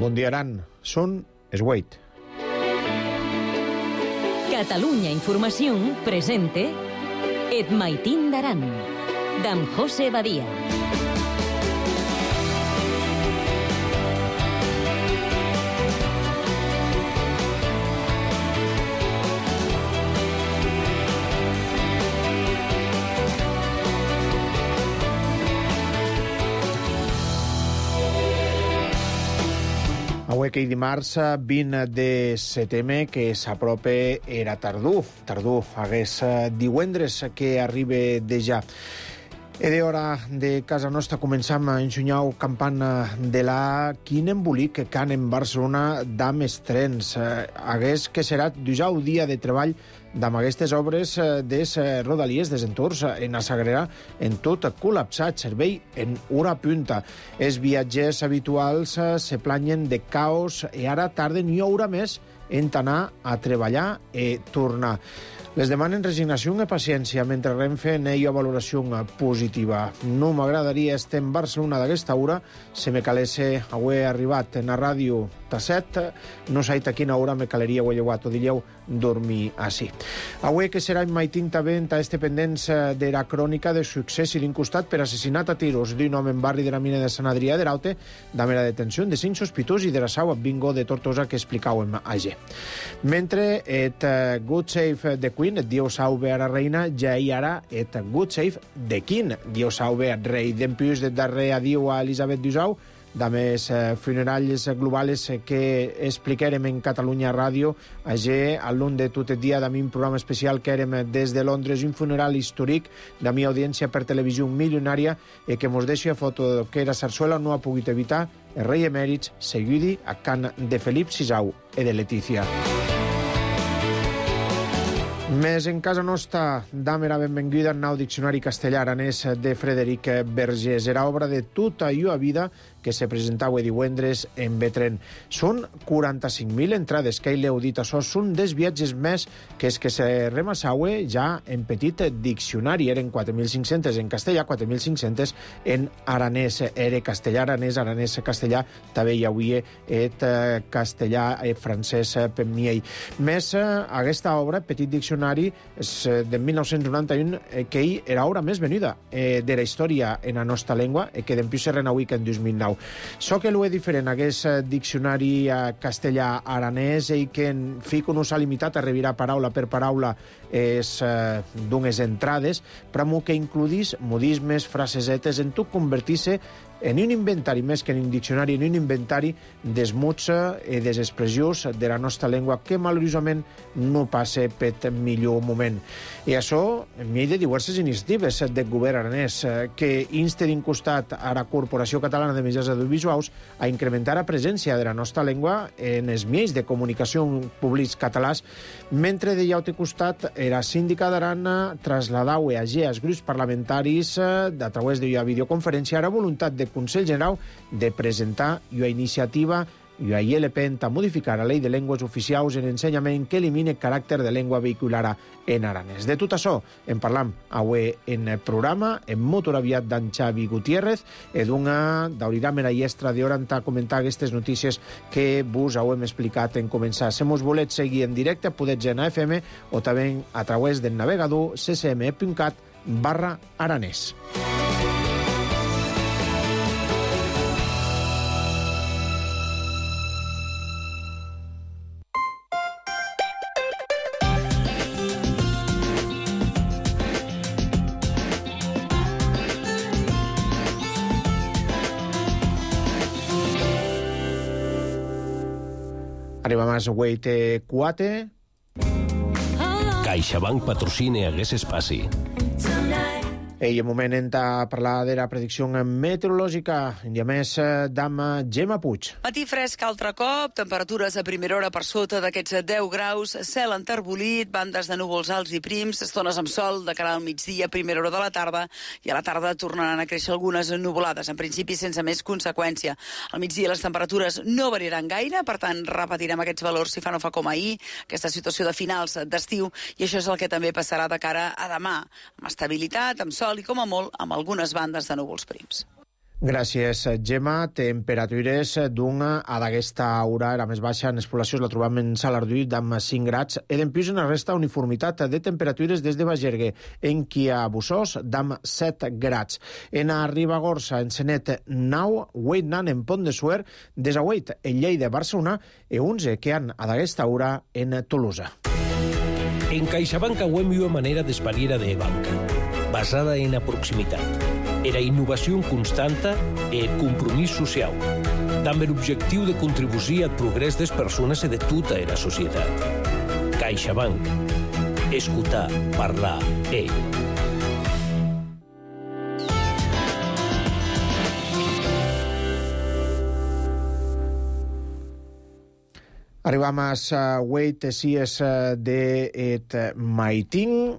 Bon dia, Aran. Són es 8. Catalunya Informació presente Et Maitín d'Aran, d'en José Badia. Avui que dimarts 20 de setembre que s'apropa era tardor hagués divendres que arriba de ja. És hora de casa nostra començam a ensenyar campana de la quin embolic que can en Barcelona d'am estrens. Hagués que serà dijous dia de treball d'amb aquestes obres des Rodalies, des entorns en a Sagrera, en tot col·lapsat, servei en hora punta. Els viatgers habituals se planyen de caos i ara tarden i hora més en anar a treballar i tornar. Les demanen resignació i paciència mentre Renfe neia valoració positiva. No m'agradaria estar en Barcelona d'aquesta hora, se me calesse avui arribat en la ràdio tasset, no sé a quina hora me caleria avui llevat o diríeu dormir així. Avui que serà en Maitín també a este pendents de la crònica de succés i d'incostat per assassinat a tiros d'un home en barri de la mina de Sant Adrià de Raute, damb la detenció de 5 sospitosos i de la sau bingo de Tortosa que explicàvem ayer. Mentre et Good Save de Queen, et Dios salve a la reina, ja hi ara et Good Save de King, Dios salve al rei. Dempuix de darrer adiu a Elisabet Dusau, de més funerals globals que explicarem en Catalunya Ràdio. Ayer, a l'un de tot el dia, de un programa especial que érem des de Londres, un funeral històric de mi audiència per televisió milionària i que mos deixa foto que era Sarsuela no ha pogut evitar el rei emèrits seguidi a can de Felip VI i de Letícia. Més en casa nostra, dam era benvinguda al nou diccionari castellà-aranès de Frederic Vergés. Era obra de tota llua vida que se presentava divendres en Betren. Són 45.000 entrades que l'heu dit això, són des viatges més que és que se remassaue ja en petit diccionari. Eren 4.500 en castellà, 4.500 en aranès. Era castellà-aranès, aranès-castellà, també hi havia et castellà francès per miei. Més aquesta obra, petit diccionari, és de 1991, que era obra més venuda de la història en la nostra llengua, que d'empius se renauï que en 2009. So que l'ho és diferent, aquest diccionari castellà-aranès i que en fico no s'ha limitat a revirar paraula per paraula d'unes entrades, però que includís modismes, frasesetes, en tot convertir-se en un inventari, més que en un diccionari, en un inventari dels mots i des expressions de la nostra llengua que malauradament no passa per millor moment. I això m'hi ha de diverses iniciatives del govern aranès que insta d'un costat a la Corporació Catalana de Mitjans Audiovisuals a incrementar la presència de la nostra llengua en els mitjans de comunicació públics catalans, mentre de l'altre costat la síndica d'Aran trasladava als grups parlamentaris a través de la videoconferència la voluntat de Consell General de presentar una iniciativa i ahir l'EPENT a modificar la llei de llengües oficials en ensenyament que elimine caràcter de llengua vehicular en aranès. De tot això en parlam avui en el programa, en molt aviat d'en Xavi Gutiérrez, i d'obrirà la llestra d'hora a comentar aquestes notícies que vos hem explicat en començar. Si mos voleu seguir en directe, podeu anar a FM o també a través del navegador ccm.cat/aranès. Arriba més avui té 4. CaixaBank patrocina aquest espaci. I en moment a parlar de la predicció meteorològica, i a més d'ama Gemma Puig. Matí fresc altre cop, temperatures a primera hora per sota d'aquests 10 graus, cel enterbolit, bandes de núvols alts i prims, estones amb sol de cara al migdia, primera hora de la tarda, i a la tarda tornaran a créixer algunes nuvolades, en principi sense més conseqüència. Al migdia les temperatures no variaran gaire, per tant repetirem aquests valors si fa no fa com ahir, aquesta situació de finals d'estiu, i això és el que també passarà de cara a demà, amb estabilitat, amb sol i com a molt amb algunes bandes de núvols prims. Gràcies, Gemma. Temperatures d'una a d'aquesta hora. La més baixa en les poblacions la trobam en Salardú amb 5 grads. E d'empius en la resta uniformitat de temperatures des de Bagergue, en qui a Bussós d'am 7 grads. En a Ribagorça, en Senet 9, 8 nan en Pont de Suert, des a 8 en Lleida, Barcelona, e 11 que han a d'aquesta hora en Tolosa. En CaixaBank auem una manera d'espariera de banca, basada en la proximitat. Era innovació constanta e compromís social, amb l'objectiu de contribuir al progrés des persones i de tota la societat. CaixaBank. Escoltar, parlar, Arribam a Wait Sies de Et Maitín.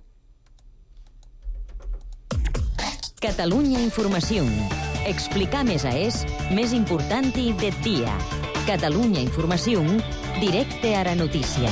Catalunya Informació. Explicar més més important de dia. Catalunya Informació, directe a la notícia.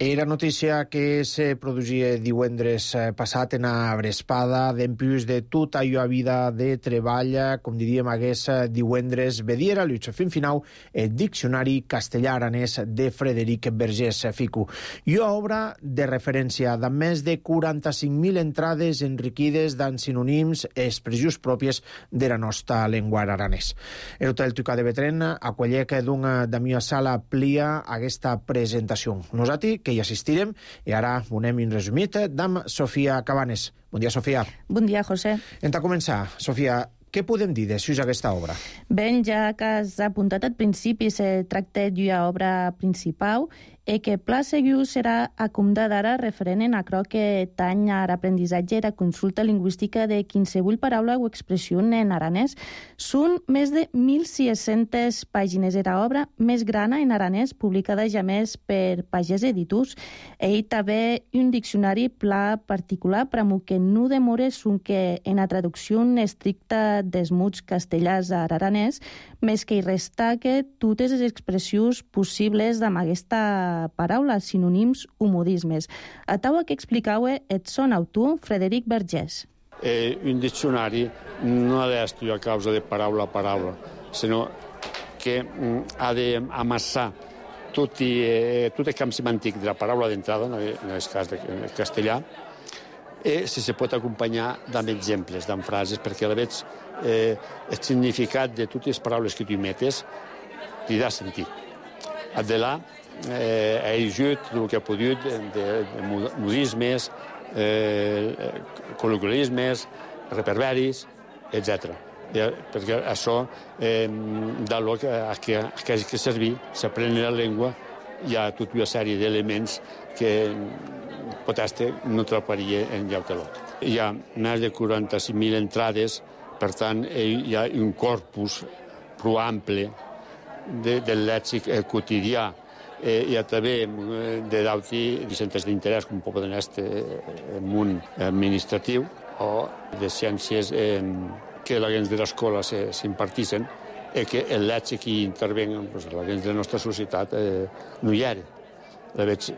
Era notícia que se produïa divendres passat en a Brespada, d'empius de tota allò vida de treball, com diríem hagués divendres vediera, l'uix fin final, el Diccionari castellà-aranès de Frederic Vergés Ficu. I una obra de referència de més de 45.000 entrades enriquides d'en sinònims i expressions pròpies de la nostra llengua aranès. El Hotel Tucà de Betren acollec d'una de mia sala plia aquesta presentació. Nosaltres, que hi assistirem, i ara donem un resumit d'amb Sofia Cabanes. Bon dia, Sofia. Bon dia, José. En ta començar, Sofia, què podem dir de sus aquesta obra? Ben, ja que has apuntat al principi, se tracta d'una obra principal e que pla seguiu serà acomodada ara referent en aquello que tany a l'aprendissatge i la consulta lingüística de qualsevol paraula o expressió en aranès. Són més de 1.600 pàgines. Era obra més grana en aranès, publicada ja més per Pagès Editors. Ell també un diccionari pla particular per a que no demore són que en la traducció estricta dels mots castellars a aranès, més que hi resta que totes les expressions possibles amb aquesta paraula, sinònims o modismes. A taua que explicau el son autor, Frederic Vergés. Un diccionari no ha d'estudiar a causa de paraula a paraula, sinó que ha d'amassar tot el camp semàntic de la paraula d'entrada, en el cas del castellà, i si se pot acompanyar amb exemples, amb frases, perquè a la vegada el significat de totes les paraules que tu metes li dà sentit. De là, ha ajut el que ha pogut de modismes, col·loquialismes, reperberis, etc. Perquè això dà lloc a que hagi que servir, s'aprèn la llengua, hi ha tota una sèrie d'elements que potser no trobaria en lloc de lloc. Hi ha més de 45.000 entrades, per tant, hi ha un corpus prou ample del lèxic quotidià. Hi ha també de d'altres centres d'interès, com poden ser el món administratiu o de ciències que la gens de l'escola s'imparteixen i que el lèxic que hi intervenen, la gens de la nostra societat, no hi era. La veig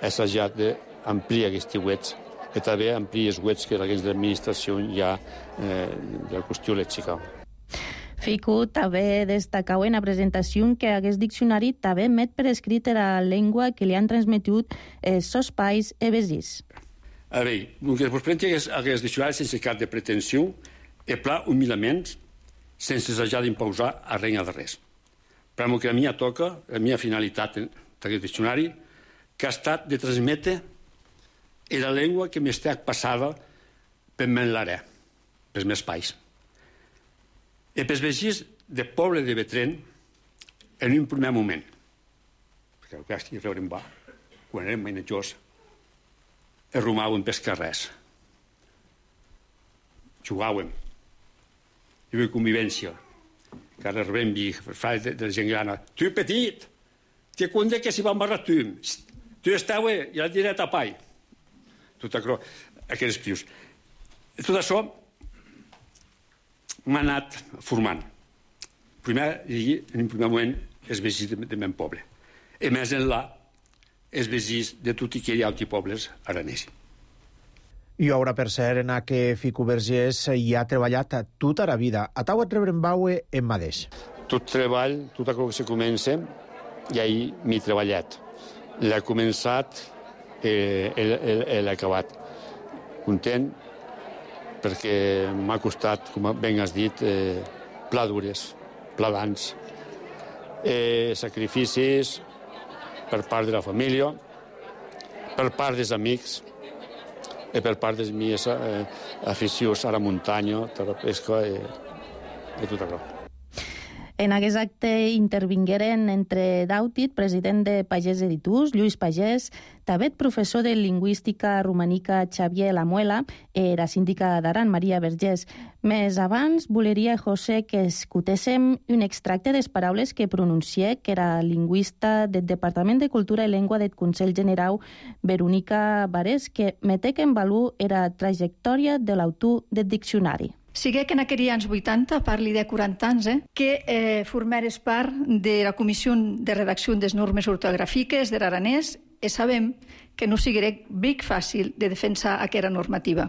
assajat d'ampliar aquests webs i també ampliar els webs que la gens de l'administració hi ha de la qüestió lèxica. Fico també destacau en la presentació que aquest diccionari també met per escrit la llengua que li han transmetut els seus pais i vesins. A veure, el que vos presenti aquest diccionari sense cap de pretensió i pla humilament, sense assajar d'imposar a reina de res. Per que a mi toca, la meva finalitat d'aquest diccionari, que ha estat de transmetre la llengua que m'està passada per l'àrea, pels meus pais. I pels veïns del poble de Betren, en un primer moment, perquè el que estic veure va, quan érem menjors, es rumàvem pels carrers. Jugàvem. Hi havia convivència. Cada rebem frases de la gent grana. Tu, petit, te conde que s'hi va embarrar tu. Tu estava i la diré a tapai. Tot això, aquests pius. Tot això m'ha anat formant. Primer, en un primer moment, els veïns del meu poble. I més enllà, els veïns de tots aquells altres pobles aranesos. I ara, per cert, en que Fico Vergés hi ha treballat tota la vida. A tau et rebrenbaue en mateix. Tot treball, tot el que se comença, i ahir m'he treballat. L'he començat i l'he acabat. Content, perquè m'ha costat, com ben has dit, pla dures, pla d'ans. Sacrificis per part de la família, per part dels amics, i per part dels meus aficions a la muntanya, a la pesca i tot això. En aquest acte intervingueren entre Dautit, president de Pagès Editús, Lluís Pagès, també professor de lingüística romanica Xavier Lamuela i la síndica d'Aran, Maria Vergés. Més abans, voleria, José, que escoltéssim un extracte de les paraules que pronuncié, que era lingüista del Departament de Cultura i Llengua del Consell Generau, Verónica Varés, que metec en valor la trajectòria de l'autor del diccionari. Sigué que en aquells anys 80, parli de 40 anys, que formares part de la Comissió de Redacció des Normes Ortogràfiques de l'aranès i sabem que no sigué bric fàcil de defensar aquesta normativa.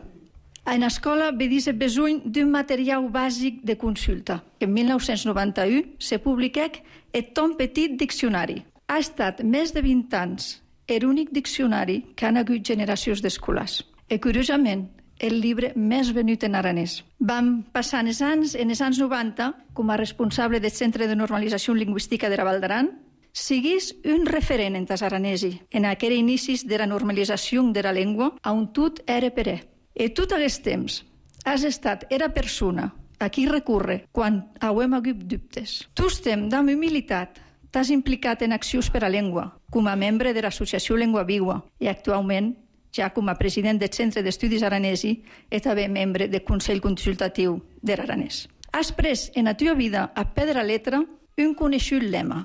En l'escola ve dir besoin d'un material bàsic de consulta, que en 1991 se publiquèc el Ton Petit Diccionari. Ha estat més de 20 anys l'únic diccionari que han hagut generacions d'escolars. I curiosament, el llibre més venut en aranès. Vam passar en els anys 90, com a responsable del Centre de Normalització Lingüística de la Val d'Aran, siguis un referent en tas aranesi, en aquells inicis de la normalització de la llengua, on tot era per I tot aquest temps has estat era persona a qui recurre quan hauem hagut dubtes. Tu estem, amb humilitat, t'has implicat en accions per a llengua, com a membre de l'Associació Llengua Viva, i actualment ja com a president del Centre d'Estudis Aranesi i també membre del Consell Consultatiu de l'Aranès. Has pres en la teva vida a pedra letra un conegut lema.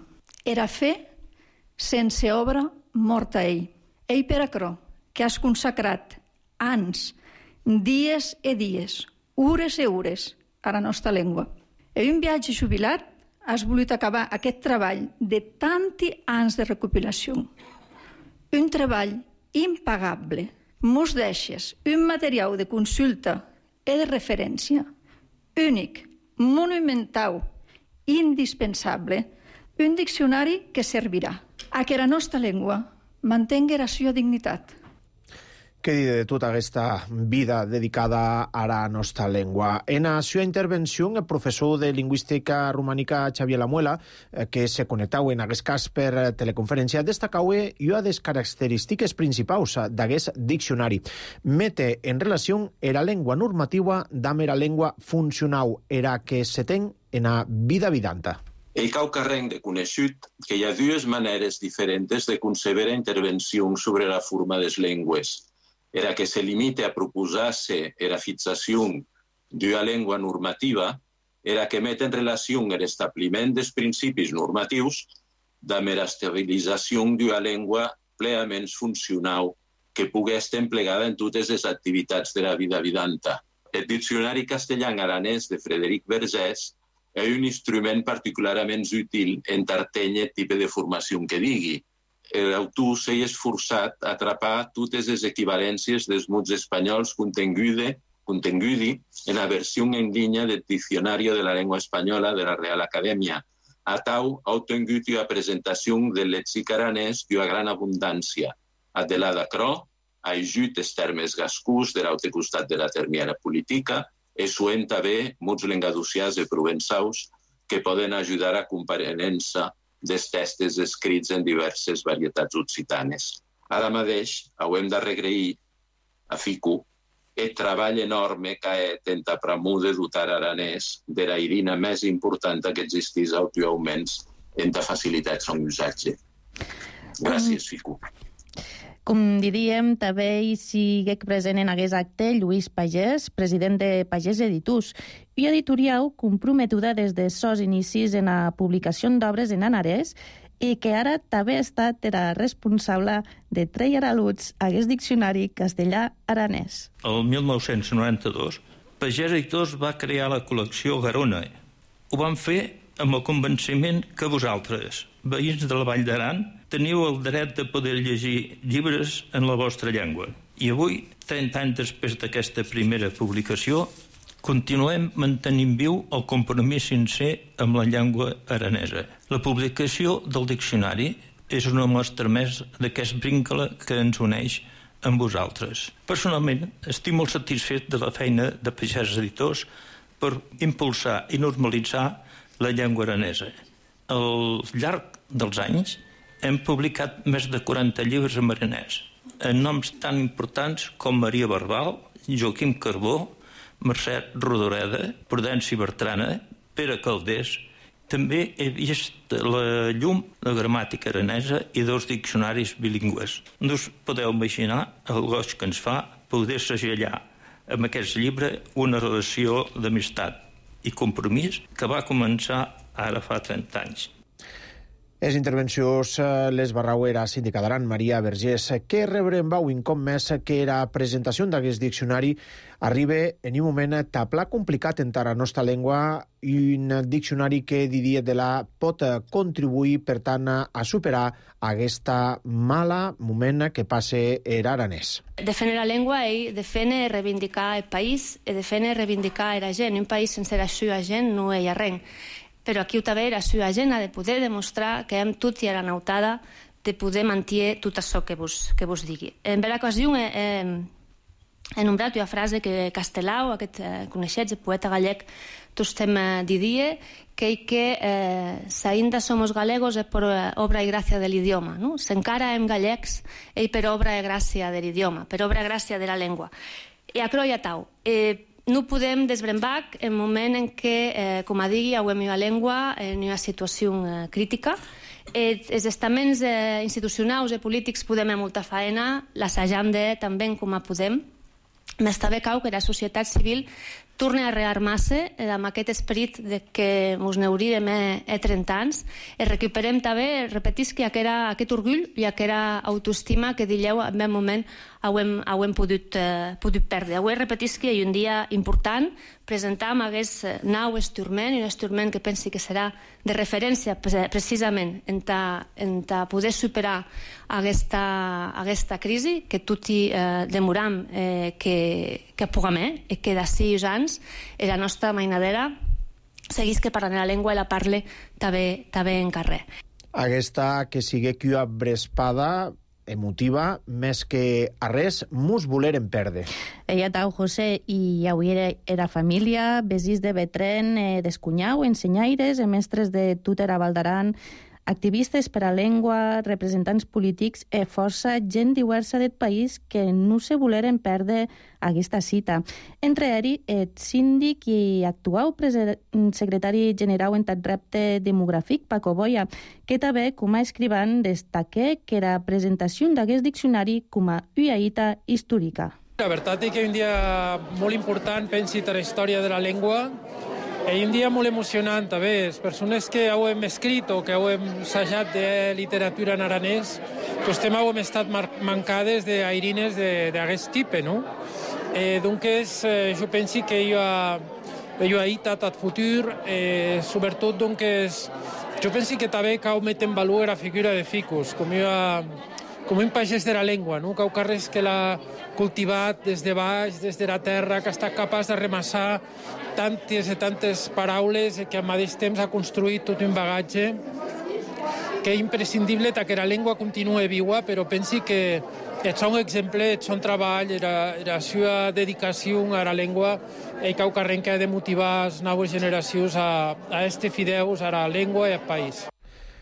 Era fer sense obra morta ell. Ell per acrò que has consacrat anys, dies i dies, hores i hores a la nostra llengua. En un viatge jubilat has volut acabar aquest treball de tanti anys de recopilació. Un treball impagable. Mos deixes un material de consulta i de referència únic, monumental, indispensable, un diccionari que servirà a que la nostra llengua mantingui la seva dignitat. Què dir de tota aquesta vida dedicada a la nostra llengua? En la seva intervenció, el professor de lingüística romànica Xavier Lamuela, que se connectau en aquest cas per teleconferència, destacau una de les característiques principals d'aquest diccionari. Mete en relació la llengua normativa amb la llengua funcional, era que se ten en la vida vidanta. El cau carrenc de conegut que hi ha dues maneres diferents de concebre intervencions sobre la forma de les llengües. Era que se limite a proposar-se la fixació d'una llengua normativa, era que met en relació l'establiment dels principis normatius amb l'estabilització d'una llengua plenament funcional que pugui estar emplegada en totes les activitats de la vida vidanta. El Diccionari castellà-aranès de Frederic Vergés és un instrument particularment útil en tarteny tipus de formació que digui. L'autor s'ha esforçat a atrapar totes les equivalències dels mots espanyols contingudi en la versió en línia del Diccionari de la Llengua Espanyola de la Real Acadèmia. A tau ha obtingut una presentació del lèxic aranès d'una gran abundància. Adelada Cro ha ajut els termes gascús de l'altre costat de la termiana política i suent també mots lengaducians i provençaus que poden ajudar a comparença dels textos escrits en diverses varietats occitanes. Ara mateix hauem de regrair a Fico el treball enorme que ha tentat promou de dotar aranès de la eina més important que existís actualment en la facilitat de usatge. Gràcies, Fico. Com diríem, també hi siguec present en aquest acte Lluís Pagès, president de Pagès Editús, i editorial comprometuda des de sos inicis en la publicació d'obres en aranès i que ara també ha estat la responsable de treure a l'ús aquest diccionari castellà-aranès. El 1992, Pagès Editors va crear la col·lecció Garona. Ho van fer amb el convenciment que vosaltres, veïns de la Vall d'Aran, teniu el dret de poder llegir llibres en la vostra llengua. I avui, 30 anys després d'aquesta primera publicació, continuem mantenint viu el compromís sincer amb la llengua aranesa. La publicació del diccionari és una mostra més d'aquest vincle que ens uneix amb vosaltres. Personalment, estic molt satisfet de la feina de Pagès Editors per impulsar i normalitzar la llengua aranesa. Al llarg dels anys hem publicat més de 40 llibres en aranès, en noms tan importants com Maria Barbal, Joaquim Carbó, Mercè Rodoreda, Prudenci Bertrana, Pere Calders. També he vist la llum, la gramàtica aranesa i 2 diccionaris bilingües. No us podeu imaginar el goig que ens fa poder segellar amb aquest llibre una relació d'amistat i compromís que va començar ara fa 30 anys. Les intervencions les barrauera síndica d'Aran, Maria Vergés, que rebrem vau un cop més que la presentació d'aquest diccionari arriba en un moment tapla complicat en la nostra llengua, un diccionari que diria de la pot contribuir, per tant, a superar aquesta mala moment que passa aranès. Defendre la llengua i defendre reivindicar el país i defendre reivindicar la gent. Un país sense la seva gent no hi ha res. Però aquí també la seva gent ha de poder demostrar que hem tot i a la nautada de poder mantenir tot això que vos digui. En vera ocasió he nombrat una frase que Castelao, aquest coneixet, el poeta gallec, tots estem dient que s'ainda somos galegos per obra i gràcia de l'idioma. No? S'encara hem gallecs per obra i gràcia de l'idioma, per obra i gràcia de la llengua. I a croia tau. No podem desbrembar en moment en què, com a digui, avui la llengua en una situació crítica. Els estaments institucionals i polítics podem molta feina, l'assajam també com a podem. M'està bé cau que la societat civil torni a rearmar-se amb aquest esperit que ens n'hauríem 30 anys i recuperem també, repetisc, aquest orgull i aquesta autoestima que dileu en un moment hem pogut perdre. Avui repetisc que hi ha un dia important presentar amb aquest nou instrument, un instrument que pensi que serà de referència precisament en poder superar aquesta crisi que tots demoram que puguem i que d'ací anys la nostra mainadera seguís que parlant la llengua i la parle també en carrer. Aquesta que sigui una brespada emotiva, més que a res, mos volerem perdre. Ella tau, José, i avui era família, vesís de Betren, d'Escunyau, ensenyaires, mestres de Tutera Valdaran, activistes per a llengua, representants polítics i força gent diversa del país que no se voleren perdre aquesta cita. Entre ells, el síndic i actual secretari general en tot repte demogràfic, Paco Boya, que també, com a escrivant, destaca que la presentació d'aquest diccionari com a una hita històrica. La veritat és que és un dia molt important, pensi, per la història de la llengua. És un dia molt emocionant, també. Les persones que hem escrit o que hem assajat de literatura en aranès, doncs també hem estat mancades d'airines d'aquest tipus, no? Donc, jo penso que hi ha una tot futur, sobretot, doncs, jo penso que també cal metre en valor la figura de Ficus, com un pagès de la llengua, no? Cau carres que l'ha cultivat des de baix, des de la terra, que ha estat capaç de remassar tantes i tantes paraules i que al mateix temps ha construït tot un bagatge que és imprescindible que la llengua continue viva, però pensi que és un exemple, és un treball, la seva dedicació a la llengua i cau carrer que ha de motivar les noves generacions a este fideus a la llengua i al país.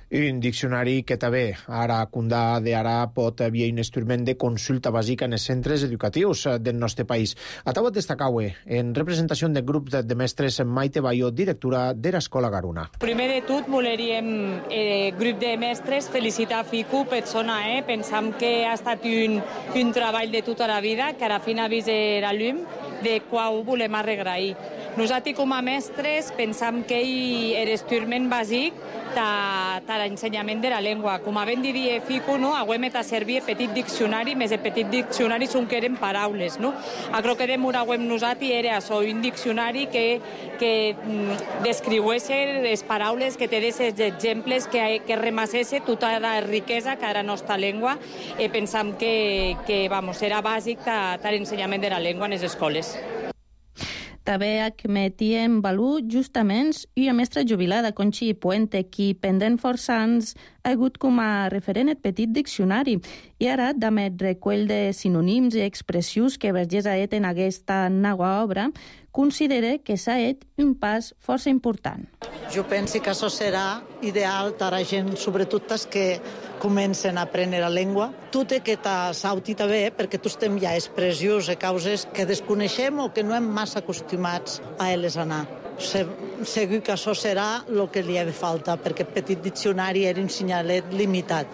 Un diccionari que també ara Condà d'ara pot haver un instrument de consulta bàsica en els centres educatius del nostre país. A taut destacau en representació del grup de mestres Maite Bayo, directora de l'Escola Garuna. Primer de tot, voleríem grup de mestres felicitar Ficu per zona, pensam que ha estat un treball de tota la vida, que ara fin ha vist la llum de qual volem arregrair. Nosaltres, com a mestres, pensam que és extremament bàsic de l'ensenyament de la llengua. Com ben diria Fico, no? Hauem de servir petit diccionari, més el petit diccionari són que eren paraules. No? Crec que demoràvem nosaltres era això, un diccionari que descriués les paraules, que te des exemples, que remassés tota la riquesa que era la nostra llengua. Pensam que era bàsic de l'ensenyament de la llengua en les escoles. També admetíem valor justament una mestra jubilada, Conchi Puente, qui pendent força anys ha hagut com a referent el petit diccionari. I ara, amb el recull de sinònims i expressions que Vergés ha fet en aquesta nova obra, considera que s'ha fet un pas força important. Jo penso que això serà ideal per a gent, sobretot els que comencen a aprendre la llengua. Tot i que t'auti també, perquè tots estem ja expressions i causes que desconeixem o que no hem massa acostumats a elles anar. Segur que això serà el que li ha de falta, perquè el petit diccionari era un senyalet limitat.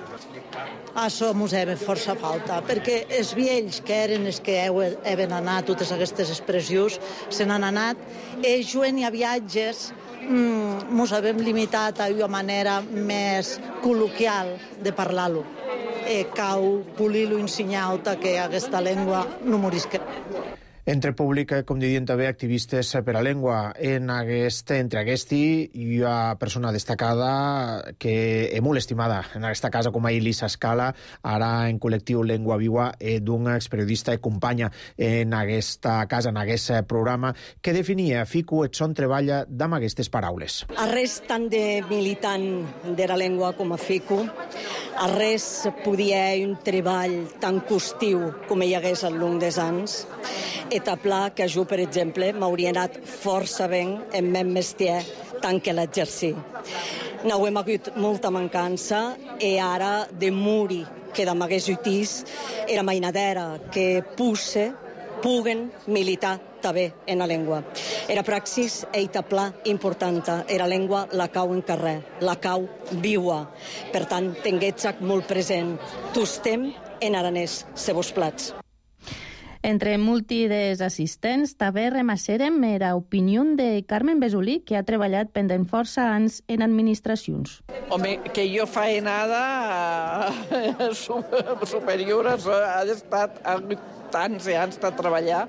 Això ens ha de força falta, perquè els vells que eren els que han anat, totes aquestes expressions, se n'han anat, i jugant a viatges ens hem limitat a una manera més col·loquial de parlar-lo. Cau polir-lo i ensenyar-te que aquesta llengua no morisca. Entre públic, com diuen també, activistes per la llengua. Entre aquesta hi ha persona destacada que és molt estimada en aquesta casa, com a Elisa Scala, ara en col·lectiu Llengua Viva, d'una experiodista i companya en aquesta casa, en aquest programa, que definia Fico et son treballa amb aquestes paraules. A res tant de militant de la llengua com a Fico, a res podia un treball tan costiu com hi hagués al long dels anys, etaplar que jo, per exemple, m'hauria anat força ben en meu mestier tant que l'exercir. N'hem hagut molta mancança i ara de muri que de m'hagués utís era mainadera que puguen militar també en la llengua. Era praxis e etaplar importanta. Era llengua la cau en carrer, la cau viua. Per tant, tinguetzac molt present. Tostem en aranès, se vos plats. Entre múltiples assistents, també remasserem la opinió de Carmen Besolí, que ha treballat pendent força anys en administracions. Home, que jo faenada superior ha estat tants anys de treballar.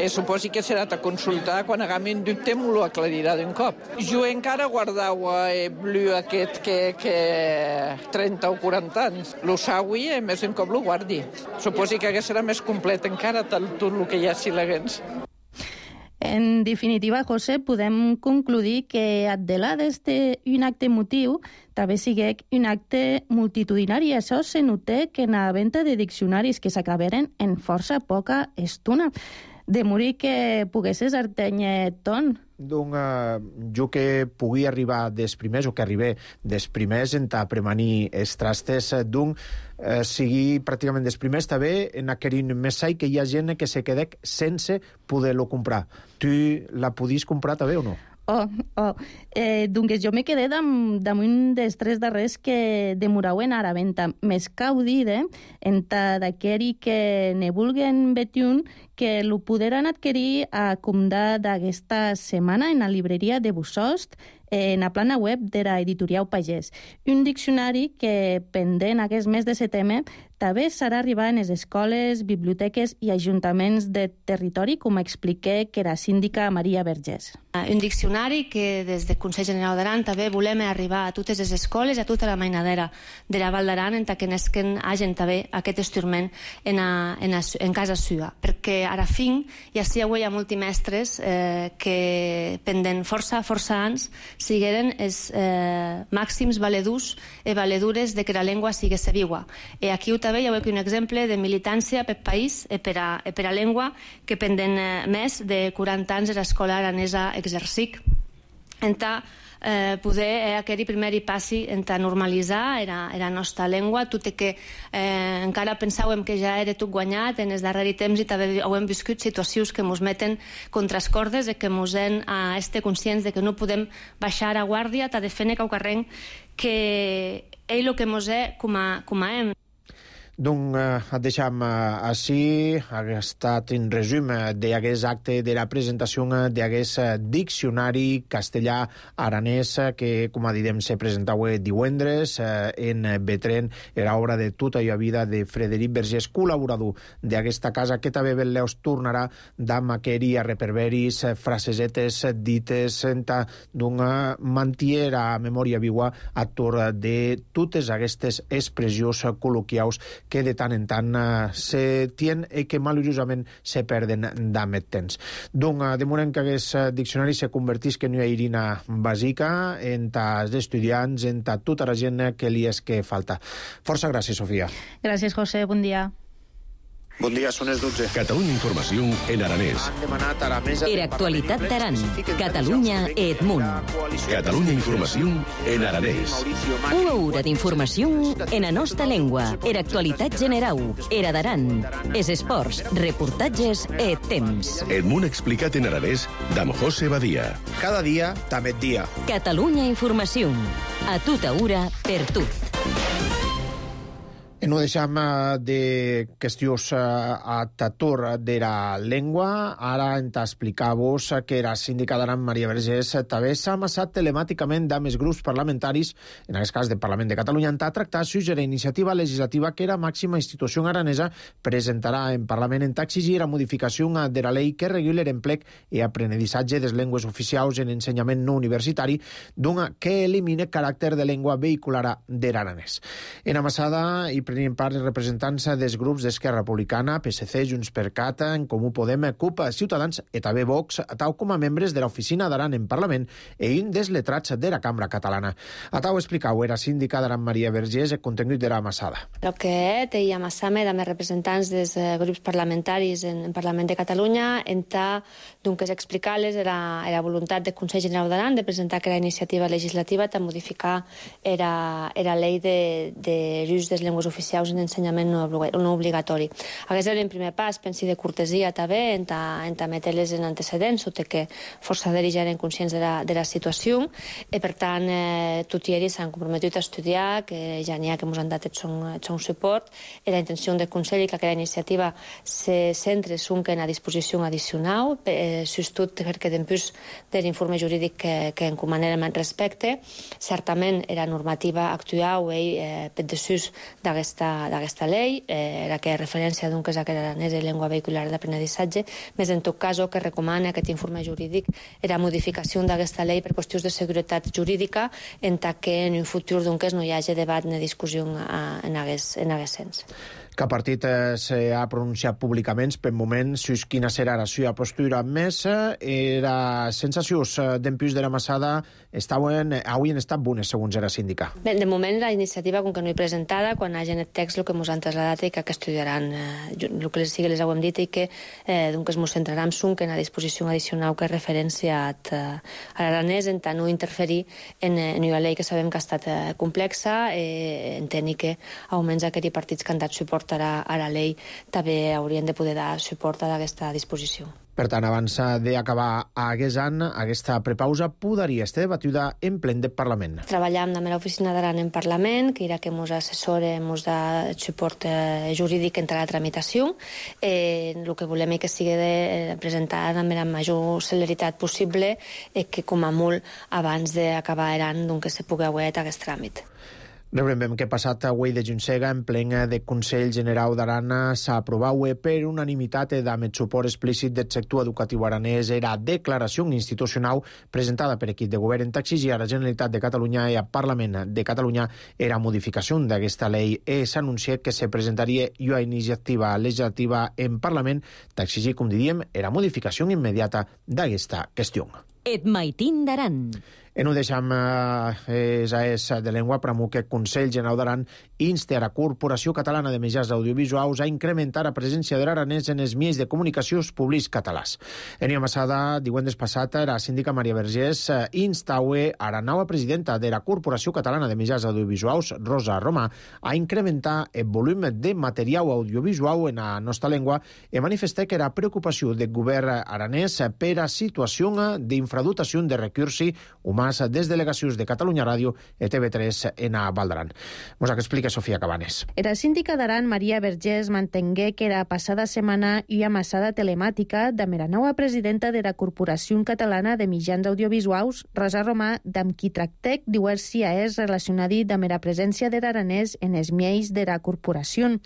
Suposi que serà a consultar quan hagam un dubte m'ho aclarirà d'un cop. Jo encara guardava el blu aquest que 30 o 40 anys. Lo saui i més un cop lo guardi. Suposi que serà més complet encara tot el que hi ha sileguents. En definitiva, José, podem concluir que Addelades té un acte emotiu, també sigui un acte multitudinari. Això se nota que en la venda de diccionaris que s'acaberen en força poca estona. De morir que poguessis artenye ton. Jo que pugui arribar després, o que arribé després en ta premanir els trastes sigui pràcticament després també en aquell missatge que hi ha gent que se quedec sense poder-lo comprar. Tu la podies comprar també o no? Doncs jo me quedé damunt dels 3 darrers que demorauen a la venda. Més cau dir, d'aquell que ne vulguen veure que lo podran adquirir a comptar d'aquesta setmana en la libreria de Bussost, en la plana web de l'editorial Pagès. Un diccionari que, pendent aquest mes de setembre, també serà arribar en les escoles, biblioteques i ajuntaments de territori, com expliqué que era síndica Maria Vergés. Un diccionari que des del Consell General d'Aran també volem arribar a totes les escoles, a tota la mainadera de la Val d'Aran, en que nesquen hagin també aquest instrument en casa seva. Perquè ara fin ja hi ha molts mestres que pendent força anys sigueren els màxims valedurs i valedures de que la llengua sigués viva. I aquí també hi ha un exemple de militància per país i per a llengua que pendent més de 40 anys a l'escola aranesa exercic. Poder aquell primer passi en normalitzar la nostra llengua, tot i que encara pensàvem que ja era tot guanyat en els darrers temps i també hem viscut situacions que ens meten contra les cordes i que ens hem estat conscients de que no podem baixar a guàrdia, t'ha de fer cau carrer que ell el que ens és com a hem. Donc, deixam així, ha estat un resum d'aquest acte de la presentació d'aquest diccionari castellà-aranès que, com diem, se presentava divendres en Betren. Era obra de tota la vida de Frederic Vergés, col·laborador d'aquesta casa, que també Leus tornarà d'amaqueri a reperberis, frasesetes dites, d'una mantiera memòria viva a torn de totes aquestes expressions col·loquials que de tant en tant se tien i que maluriosament se perden d'amet temps. Donc, de moment que aquest diccionari se convertís que no hi ha irina bàsica en els estudiants, en tota la gent que li és que falta. Força gràcies, Sofia. Gràcies, José. Bon dia. Bon dia, són les 12. Catalunya Informació en aranès. Han demanat a la mesa... Era actualitat d'Aran. Catalunya Edmunt. Catalunya Informació en aranès. Una hora d'informació en la nostra llengua. Era actualitat general. Era d'Aran. Es esports, reportatges e temps. Edmunt explicat en aranès d'Am José Badia. Cada dia, també dia. Catalunya Informació. A tota hora, per tot. I no deixem de qüestions a tator de la llengua. Ara hem d'explicar-vos que la síndica d'Aran, Maria Vergés, també s'ha amassat telemàticament amb els grups parlamentaris, en aquest cas del Parlament de Catalunya, a tractar la iniciativa legislativa que la màxima institució aranesa presentarà en Parlament en exigir la modificació de la llei que regula l'emplec i aprenedissatge de les llengües oficials en ensenyament no universitari, que elimine caràcter de llengua vehicular de l'aranès. En amassada i prenien part els representants dels grups d'Esquerra Republicana, PSC, Junts per Cat, En Comú Podem, CUP, Ciutadans i també Vox, tal com a membres de l'Oficina d'Aran en Parlament i un dels letrats de la Cambra Catalana. A tau explicau era síndica d'Aran Maria Vergés el contingut de la amassada. El que té i amassame amb els representants dels grups parlamentaris en Parlament de Catalunya enta que explicar-les la voluntat del Consell General d'Aran de presentar que la iniciativa legislativa de modificar la llei de l'ús de les llengües oficials en ensenyament no obligatori. Aquest era el primer pas, pensi de cortesia també, en metre-les en antecedents, tot i que força d'ells ja eren conscients de la situació, i per tant tots ells s'han comprometut a estudiar, que ja n'hi ha que ens han dat el seu suport, i la intenció del Consell que la iniciativa se centre en a disposició addicional, sustot perquè després de l'informe jurídic que encomanem al respecte, certament la normativa actual per desús d'aquesta llei, la que referència és a que l'aranès és llengua vehicular d'aprenedissatge, més en tot cas que recomana aquest informe jurídic la modificació d'aquesta llei per qüestions de seguretat jurídica en que en un futur no hi hagi debat ni discussió en aquest sens. Cap partit s'ha pronunciat públicament per moment sobre quina serà la seva postura més. Les sensacions d'empús de la massada avui han estat bones, segons la síndica. Bé, de moment la iniciativa, com que no hi presentada, quan hagi el text el que ens han traslladat i que estudiaran el que sigui les hem dit i que ens centrarem en la disposició addicional que referència a l'aranès en tant no interferir en una llei que sabem que ha estat complexa, entenc que almenys aquells partits que han dat suport a la llei també haurien de poder dar suport a aquesta disposició. Per tant, abans d'acabar aquest any, aquesta prepausa podria estar debatuda en ple del Parlament. Treballam amb l'Oficina d'Aran en Parlament, que era que ens assessora, ens da suport jurídic entre la tramitació. El que volem és que sigui presentada amb la major celeritat possible i que, com a molt, abans d'acabar l'any, que se pugui haver aquest tràmit. Recordem que passat avui de Juncega, en plen de Consell General d'Aran, s'ha aprovat per unanimitat amb el suport explícit del sector educatiu aranès la declaració institucional presentada per equip de govern en exigir a la Generalitat de Catalunya i al Parlament de Catalunya la modificació d'aquesta llei. S'ha anunciat que se presentaria una iniciativa legislativa en Parlament d'exigir, com diríem, la modificació immediata d'aquesta qüestió. Et maitin d'Aran. I no deixem de llengua per que el Consell General d'Aran insta a la Corporació Catalana de Mitjans Audiovisuals a incrementar la presència de l'aranès en els mitjans de comunicació públics catalans. En una massada, divendres passat, la síndica Maria Vergés instava a la nova presidenta de la Corporació Catalana de Mitjans Audiovisuals, Rosa Romà, a incrementar el volum de material audiovisual en la nostra llengua i manifestar que la preocupació del govern aranès per la situació d'infradotació de recursos humans Tomàs, des delegacions de Catalunya Ràdio i TV3 en a Val d'Aran. Mos explica Sofia Cabanes. Era síndica d'Aran, Maria Vergés, mantengué que era passada setmana i amassada telemàtica de la nova presidenta de la Corporació Catalana de Mitjans Audiovisuals, Rosa Romà, d'amb qui tractec diversi és relacionat amb la presència de l'aranès en els miels de la corporació.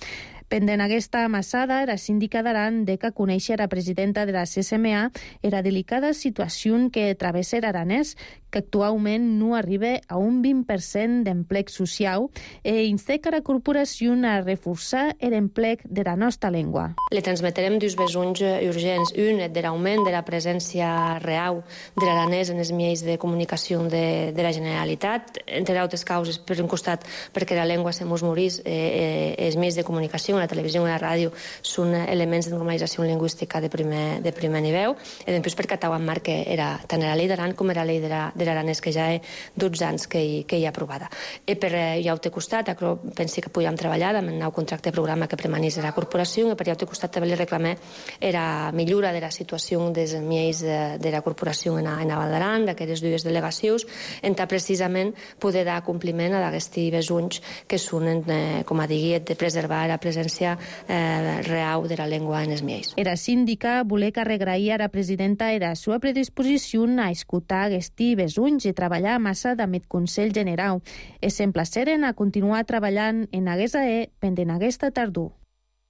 Pendent aquesta amassada, era síndica d'Aran de que conèixer la presidenta de la CSMA era delicada situació que travessa l'aranès, que actualment no arriba a un 20% d'emplec social e insta que la corporació a reforçar l'emplec de la nostra llengua. Le transmetrem dos besonys urgents. Un és de l'augment de la presència real de l'aranès en els mitjans de comunicació de la Generalitat, entre altres causes, per un costat, perquè la llengua se mos morís, els mitjans de comunicació, la televisió i la ràdio, són elements de normalització lingüística de primer nivell, i després perquè estava en marc que era tant la llei d'Aran com la llei de l'aranès, que ja hi ha 12 anys que hi ha aprovada. I per l'altre costat, penso que podíem treballar amb el nou contracte de programa que premanís la corporació, i per l'altre costat també li reclamé la millora de la situació dels mitjans de la corporació en la Val d'Aran, d'aquestes dues delegacions, en precisament poder dar compliment a aquests besonys que són, com a diguet, de preservar la presència real de la llengua en els mitjans. Era síndica voler carregar a la presidenta la seva predisposició a escoltar aquests besonys i treballar massa amb el Consell General. Es s'emplaceren a continuar treballant en aquesta pendent aquesta tardor.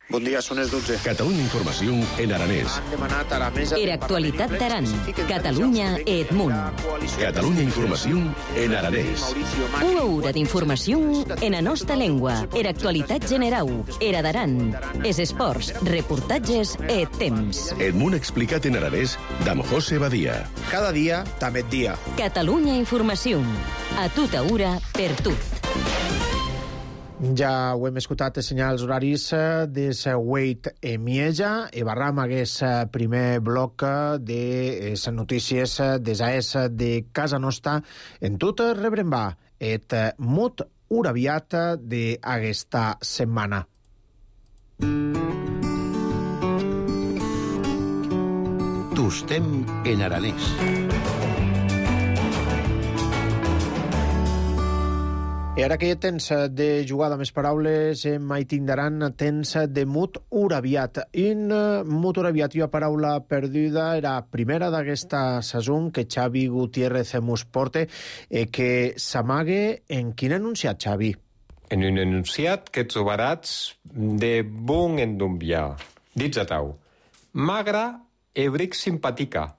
Bon dia, són les 12. Catalunya Informació en aranès. Han demanat a la mesa... Era actualitat d'Aran, Catalunya i Edmunt. Catalunya Informació en aranès. Una hora d'informació en la nostra llengua. Era actualitat general. Era d'Aran. És esports, reportatges i temps. Edmunt explicat en aranès d'amb José Badia. Cada dia, també dia. Catalunya Informació. A tota hora, per tot. Ja ho hem escoltat, senyals horaris des Wait e Mieja i barram aquest primer bloc de les notícies des AES de casa nostra. En tot rebrem va et mot uraviat d'aquesta setmana. Tostem en aranès. I ara que ja tens de jugar amb les paraules, mai tindran temps de mut uraviat. In mut uraviat i una paraula perduda era primera d'aquesta saison que Xavi Gutiérrez mos porta, que s'amague en quin enunciat, Xavi? En un enunciat que trobaràs de bon endumbiar. Dits a tau. Magra e bric simpatica,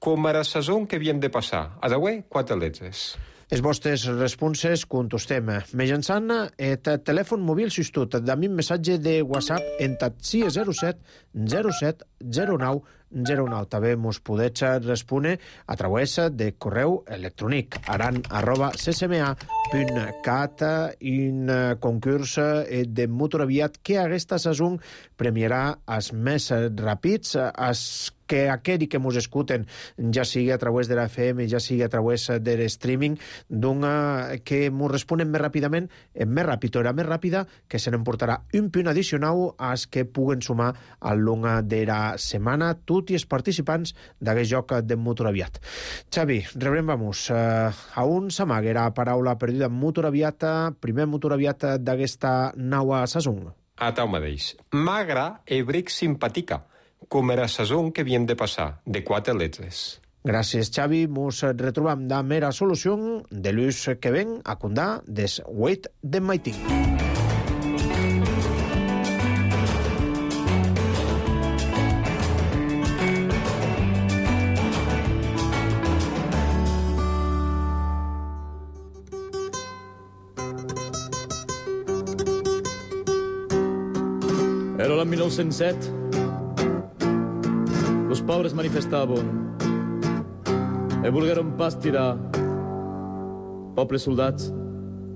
com a la saison que havien de passar. Adaué, 4 letres. Els vostres responses contestem mitjançant el telèfon mòbil substitut d'ami missatge de WhatsApp en 607 07 09 09. També mos podeu respondre a través de correu electrònic aran@csma.cat, un concurs de motoraviat que aquesta saison premiarà els més ràpids, els que aquells que mos escuten, ja sigui a través de la FM, ja sigui a través de l'streaming, que mos responen més ràpidament, més ràpid o més ràpida, que se n'emportarà un punt addicional als que puguen sumar al long de la setmana tots els participants d'aquest joc de motoraviat. Xavi, rebrem vamos. A on s'amaga la paraula perduda motoraviat, primer motoraviat d'aquesta nova saison? A tau mateix. Magra e bric simpatica, com era la saison que havíem de passar, de 4 letres. Gràcies, Xavi. Mos retrobam de mera solució de l'ús que ven a condar des Wait de Maiting. Era l'any 1907. Los pobres manifestaven e volgueren pas tirar. Pobles soldats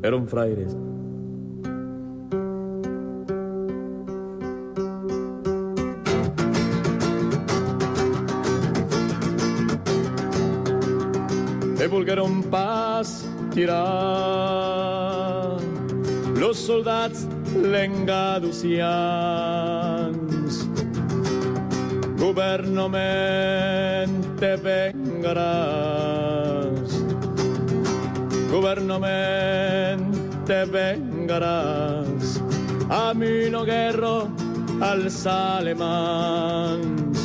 eren fraires. E volgueren pas tirar. Los soldats lengaducians governament te vengaràs governament te vengaràs. A mi no guerro als alemans.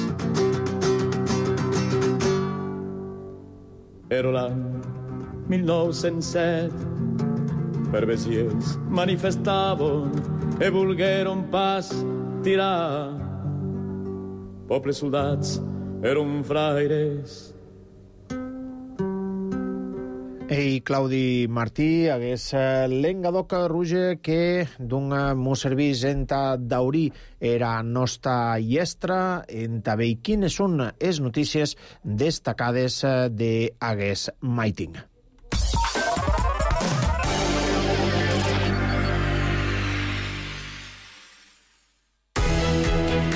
Era l'any 1907, per Besiers manifestaven e volgueren pas tirar. Pobles soldats eren fraires. Ei, Claudi Martí, hagués l'engadoc ruge que d'un mos servís enta daurí era nostra iestra, enta veir quines són les notícies destacades de hagués maiting.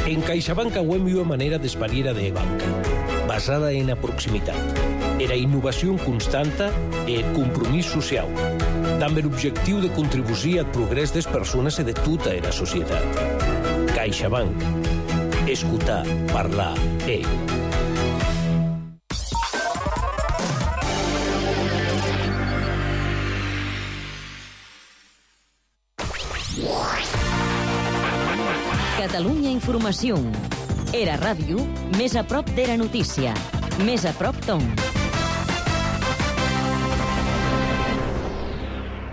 En CaixaBank auem una manera d'espariera de banca, basada en la proximitat. Era innovació constanta e compromís social, amb l'objectiu de contribuir al progrés des persones i de tota la societat. CaixaBank. Escoltar, parlar, Catalunya Informació. Era ràdio, més a prop d'era notícia. Més a prop d'on.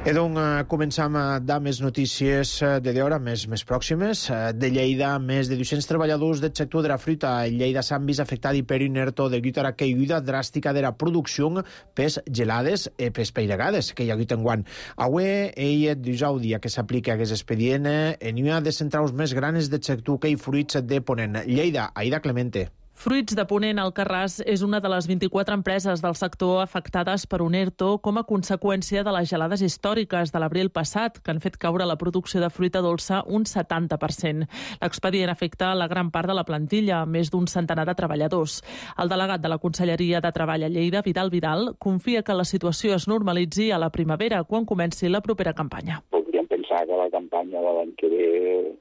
E doncs començam amb les notícies de l'hora més pròximes. De Lleida, més de 200 treballadors del sector de la fruita a Lleida s'han vist afectats per inerto degut a la caiguda dràstica de la producció pels gelades i pels peiregades que hi ha hagut enguany. Avui, dijous dia que s'aplica aquest expedient en una de centrals més grans del sector que hi fruits de Ponent. Lleida, Aida Clemente. Fruits de Ponent Alcarràs és una de les 24 empreses del sector afectades per un ERTO com a conseqüència de les gelades històriques de l'abril passat, que han fet caure la producció de fruita dolça un 70%. L'expedient afecta la gran part de la plantilla, més d'un centenar de treballadors. El delegat de la Conselleria de Treball a Lleida, Vidal Vidal, confia que la situació es normalitzi a la primavera, quan comenci la propera campanya. Podríem pensar que la campanya de l'any que ve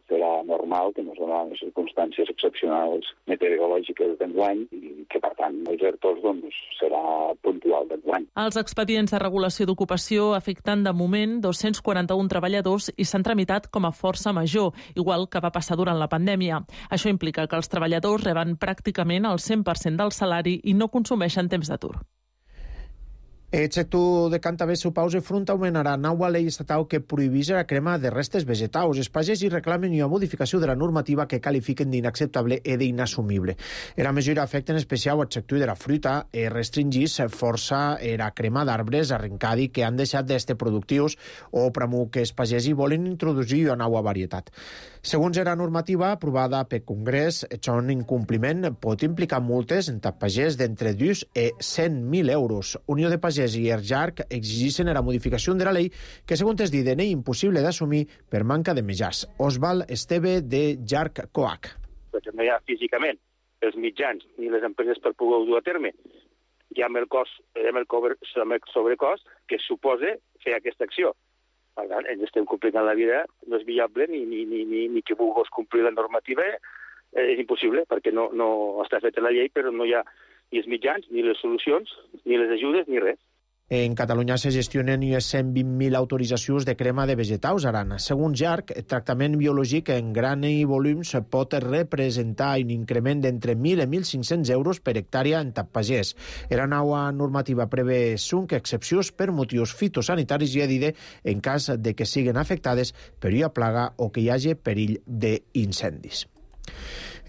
serà normal, que no seran les circumstàncies excepcionals meteorològiques d'enguany i que, per tant, els ERTOs serà puntual d'enguany. Els expedients de regulació d'ocupació afecten de moment 241 treballadors i s'han tramitat com a força major, igual que va passar durant la pandèmia. Això implica que els treballadors reben pràcticament el 100% del salari i no consumeixen temps d'atur. El sector de Cantabès seu pausa frontalment nova llei estatal que prohibeix la crema de restes vegetals. Els pagesos reclamen una modificació de la normativa que qualifiquen d'inacceptable i d'inassumible. La mesura afecta en especial el sector de la fruita i restringís força la crema d'arbres arrencadi que han deixat d'estar productius o premu que els pagesos volen introduir una nova varietat. Segons la normativa aprovada pel Congrés, això incompliment pot implicar multes en pagès d'entre 2 i 100.000 euros. Unió de Pagès i ERJARC exigeixen la modificació de la llei que, segons es diden, és impossible d'assumir per manca de mitjans. Osval Esteve, de JARC COAC. Perquè no hi ha físicament els mitjans ni les empreses per poder-ho dur a terme. Hi ha el sobrecost que suposa fer aquesta acció. Per tant, ens estem complicant la vida, no és viable ni que vulguis complir la normativa, és impossible, perquè no està feta la llei, però no hi ha ni els mitjans, ni les solucions, ni les ajudes, ni res. En Catalunya se gestionen unes 120.000 autoritzacions de crema de vegetals arana. Segons JARC, el tractament biològic en gran i volums pot representar un increment d'entre 1.000 i 1.500 euros per hectàrea en pagès. La nova normativa prevé 5 excepcions per motius fitosanitaris i edide en cas de que siguin afectades per una plaga o que hi hagi perill d'incendis.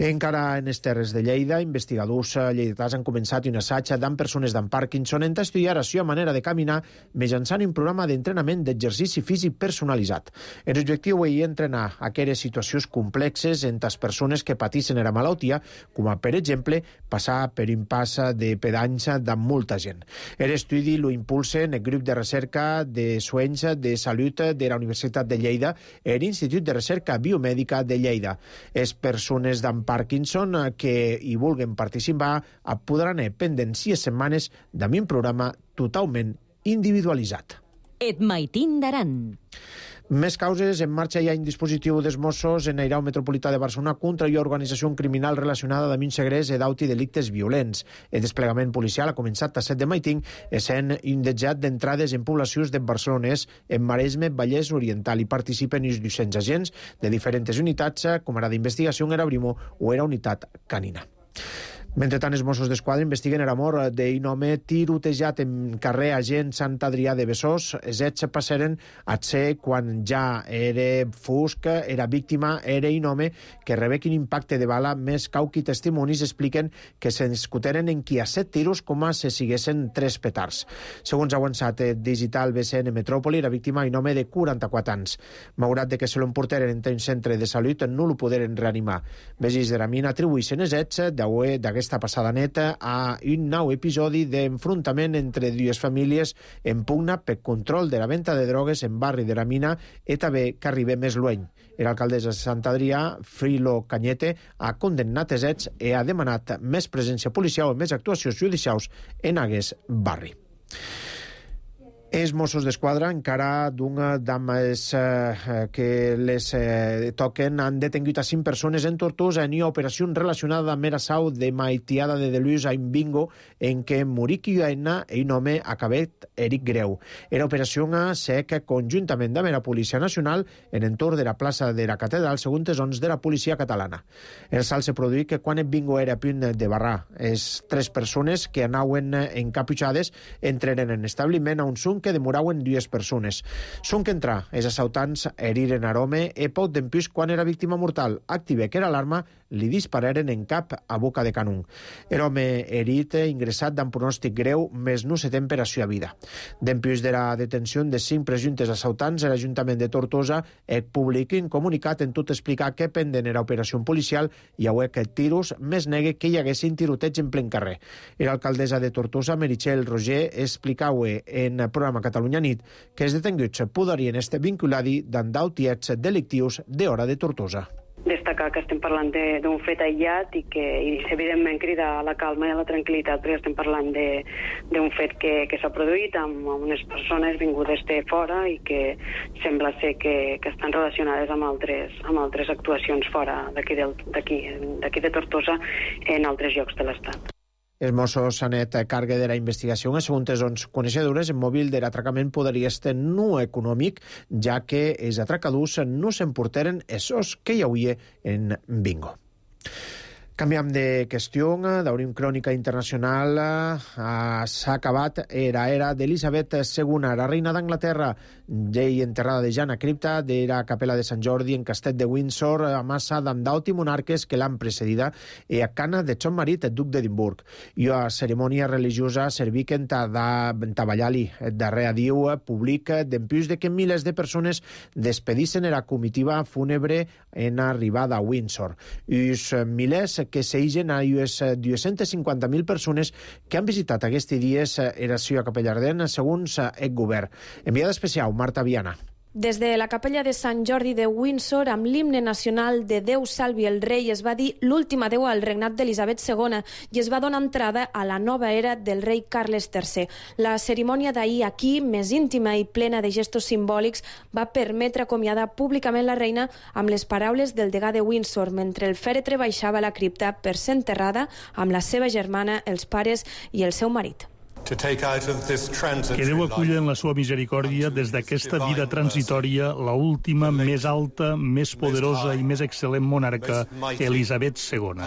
Encara en les terres de Lleida, investigadors lleidatans han començat un assaig amb persones amb Parkinson en estudiar la seva manera de caminar mitjançant un programa d'entrenament d'exercici físic personalitzat. L'objectiu és entrenar aquelles situacions complexes entre les persones que pateixen la malaltia, com a, per exemple, passar per un pas de pedanys amb molta gent. L'estudi lo impulsen el grup de recerca de sueños de salut de la Universitat de Lleida i l'Institut de Recerca Biomèdica de Lleida. Les persones amb Parkinson que hi vulguin participar podran pendents 6 setmanes amb un programa totalment individualitzat. Et maitin d'Aran. Més causes. En marxa hi ha un dispositiu dels Mossos en Airau Metropolità de Barcelona contra una organització criminal relacionada amb un segrest i d'auti delictes violents. El desplegament policial ha començat a 7 de maiting, essent indetjat d'entrades en poblacions de barcelonès en Maresme, Vallès Oriental. Hi participen uns 200 agents de diferents unitats, com ara d'investigació era Brimo o era unitat canina. Mentre tant, els Mossos d'Esquadra investiguen la mort d'un home tirotejat en carrer Agent Sant Adrià de Besòs. Els fets passaren a ser quan ja era fosc, era víctima, era un home que rebé un impacte de bala. Més cauqui testimonis expliquen que se discuteren en qui a 7 tiros com a se siguessin 3 petards. Segons ha avançat Digital BCN Metròpoli, la víctima un home de 44 anys. Malgrat que se l'emporteren en un centre de salut, no lo poderen reanimar. Vegis de la mina atribueixen els fets d'aquesta passada neta a un nou episodi d'enfrontament entre dues famílies en pugna per control de la venda de drogues en barri de la mina i també que arriba més lluny. L'alcaldessa de Sant Adrià, Frilo Cañete, ha condemnat els fets i ha demanat més presència policial i més actuacions judicials en aquest barri. Els Mossos d'Esquadra, encara d'una dames que les toquen, han detingut a 5 persones en Tortosa en una operació relacionada amb l'assau de Maitiada de Delús a un bingo en què morí Quiuena i un home acabat herit greu. Era operació SEC conjuntament amb la Policia Nacional en entorn de la plaça de la Catedral, segons els de la policia catalana. El salt se produí que quan el bingo era a punt de barrar. Les 3 persones que anaven encaputxades entraren en establiment a un zoom que demoraven 2 persones. Són que entrar, els assaltants heriren a l'home i poc d'empús quan era víctima mortal. Active que era l'arma, li dispararen en cap a boca de canó. L'home herit ingressat amb pronòstic greu, més no se té per a seva vida. D'empús de la detenció de 5 presumptes assaltants, l'Ajuntament de Tortosa publica un comunicat en tot explicar que pendent era operació policial i a que tiros més negue que hi haguessin tiroteig en plen carrer. L'alcaldessa de Tortosa, Meritxell Roger, explicava en el programa Catalunya Nit que els detinguts podrien estar vinculats d'endautiets delictius d'hora de Tortosa. Destacar que estem parlant d'un fet aïllat i que evidentment crida a la calma i a la tranquil·litat, perquè estem parlant d'un fet que s'ha produït amb unes persones vingudes de fora i que sembla ser que estan relacionades amb altres actuacions fora d'aquí de Tortosa en altres llocs de l'Estat. Els Mossos han net càrrega de la investigació. Segons les coneixedores, el mòbil de l'atracament podria estar no econòmic, ja que els atracadors no s'emportaren esos que hi havia en bingo. Canviam de qüestió, d'obrim crònica internacional. S'ha acabat era d'Elisabet II, la reina d'Anglaterra, llei enterrada de Jana cripta de la capella de Sant Jordi en Castell de Windsor, a massa d'andauti monarques que l'han precedida i a cana de son marit, el duc d'Edimburg. I a cerimònia religiosa serviquen taballali darrere Diu públic d'empús de que milers de persones despedissen la comitiva fúnebre en arribada a Windsor. Uns milers que s'eigen a unes 250.000 persones que han visitat aquests dies la seva capella ardent, segons el govern. Enviada especial, Marta Viana. Des de la capella de Sant Jordi de Windsor, amb l'himne nacional de Déu salvi el rei, es va dir l'últim adéu al regnat d'Elisabet II i es va donar entrada a la nova era del rei Carles III. La cerimònia d'ahir aquí, més íntima i plena de gestos simbòlics, va permetre acomiadar públicament la reina amb les paraules del degà de Windsor, mentre el fèretre baixava a la cripta per ser enterrada amb la seva germana, els pares i el seu marit. Que Déu aculli en la seva misericòrdia des d'aquesta vida transitòria la última, més alta, més poderosa i més excel·lent monarca, Elisabet II.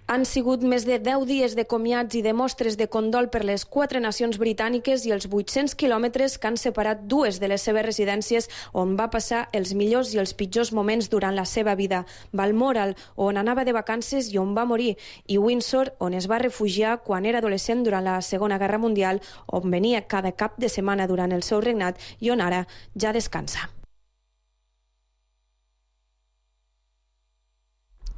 Han sigut més de 10 dies de comiats i de mostres de condol per les 4 nacions britàniques i els 800 quilòmetres que han separat 2 de les seves residències on va passar els millors i els pitjors moments durant la seva vida. Balmoral, on anava de vacances i on va morir, i Windsor, on es va refugiar quan era adolescent durant la Segona Guerra Mundial, on venia cada cap de setmana durant el seu regnat i on ara ja descansa.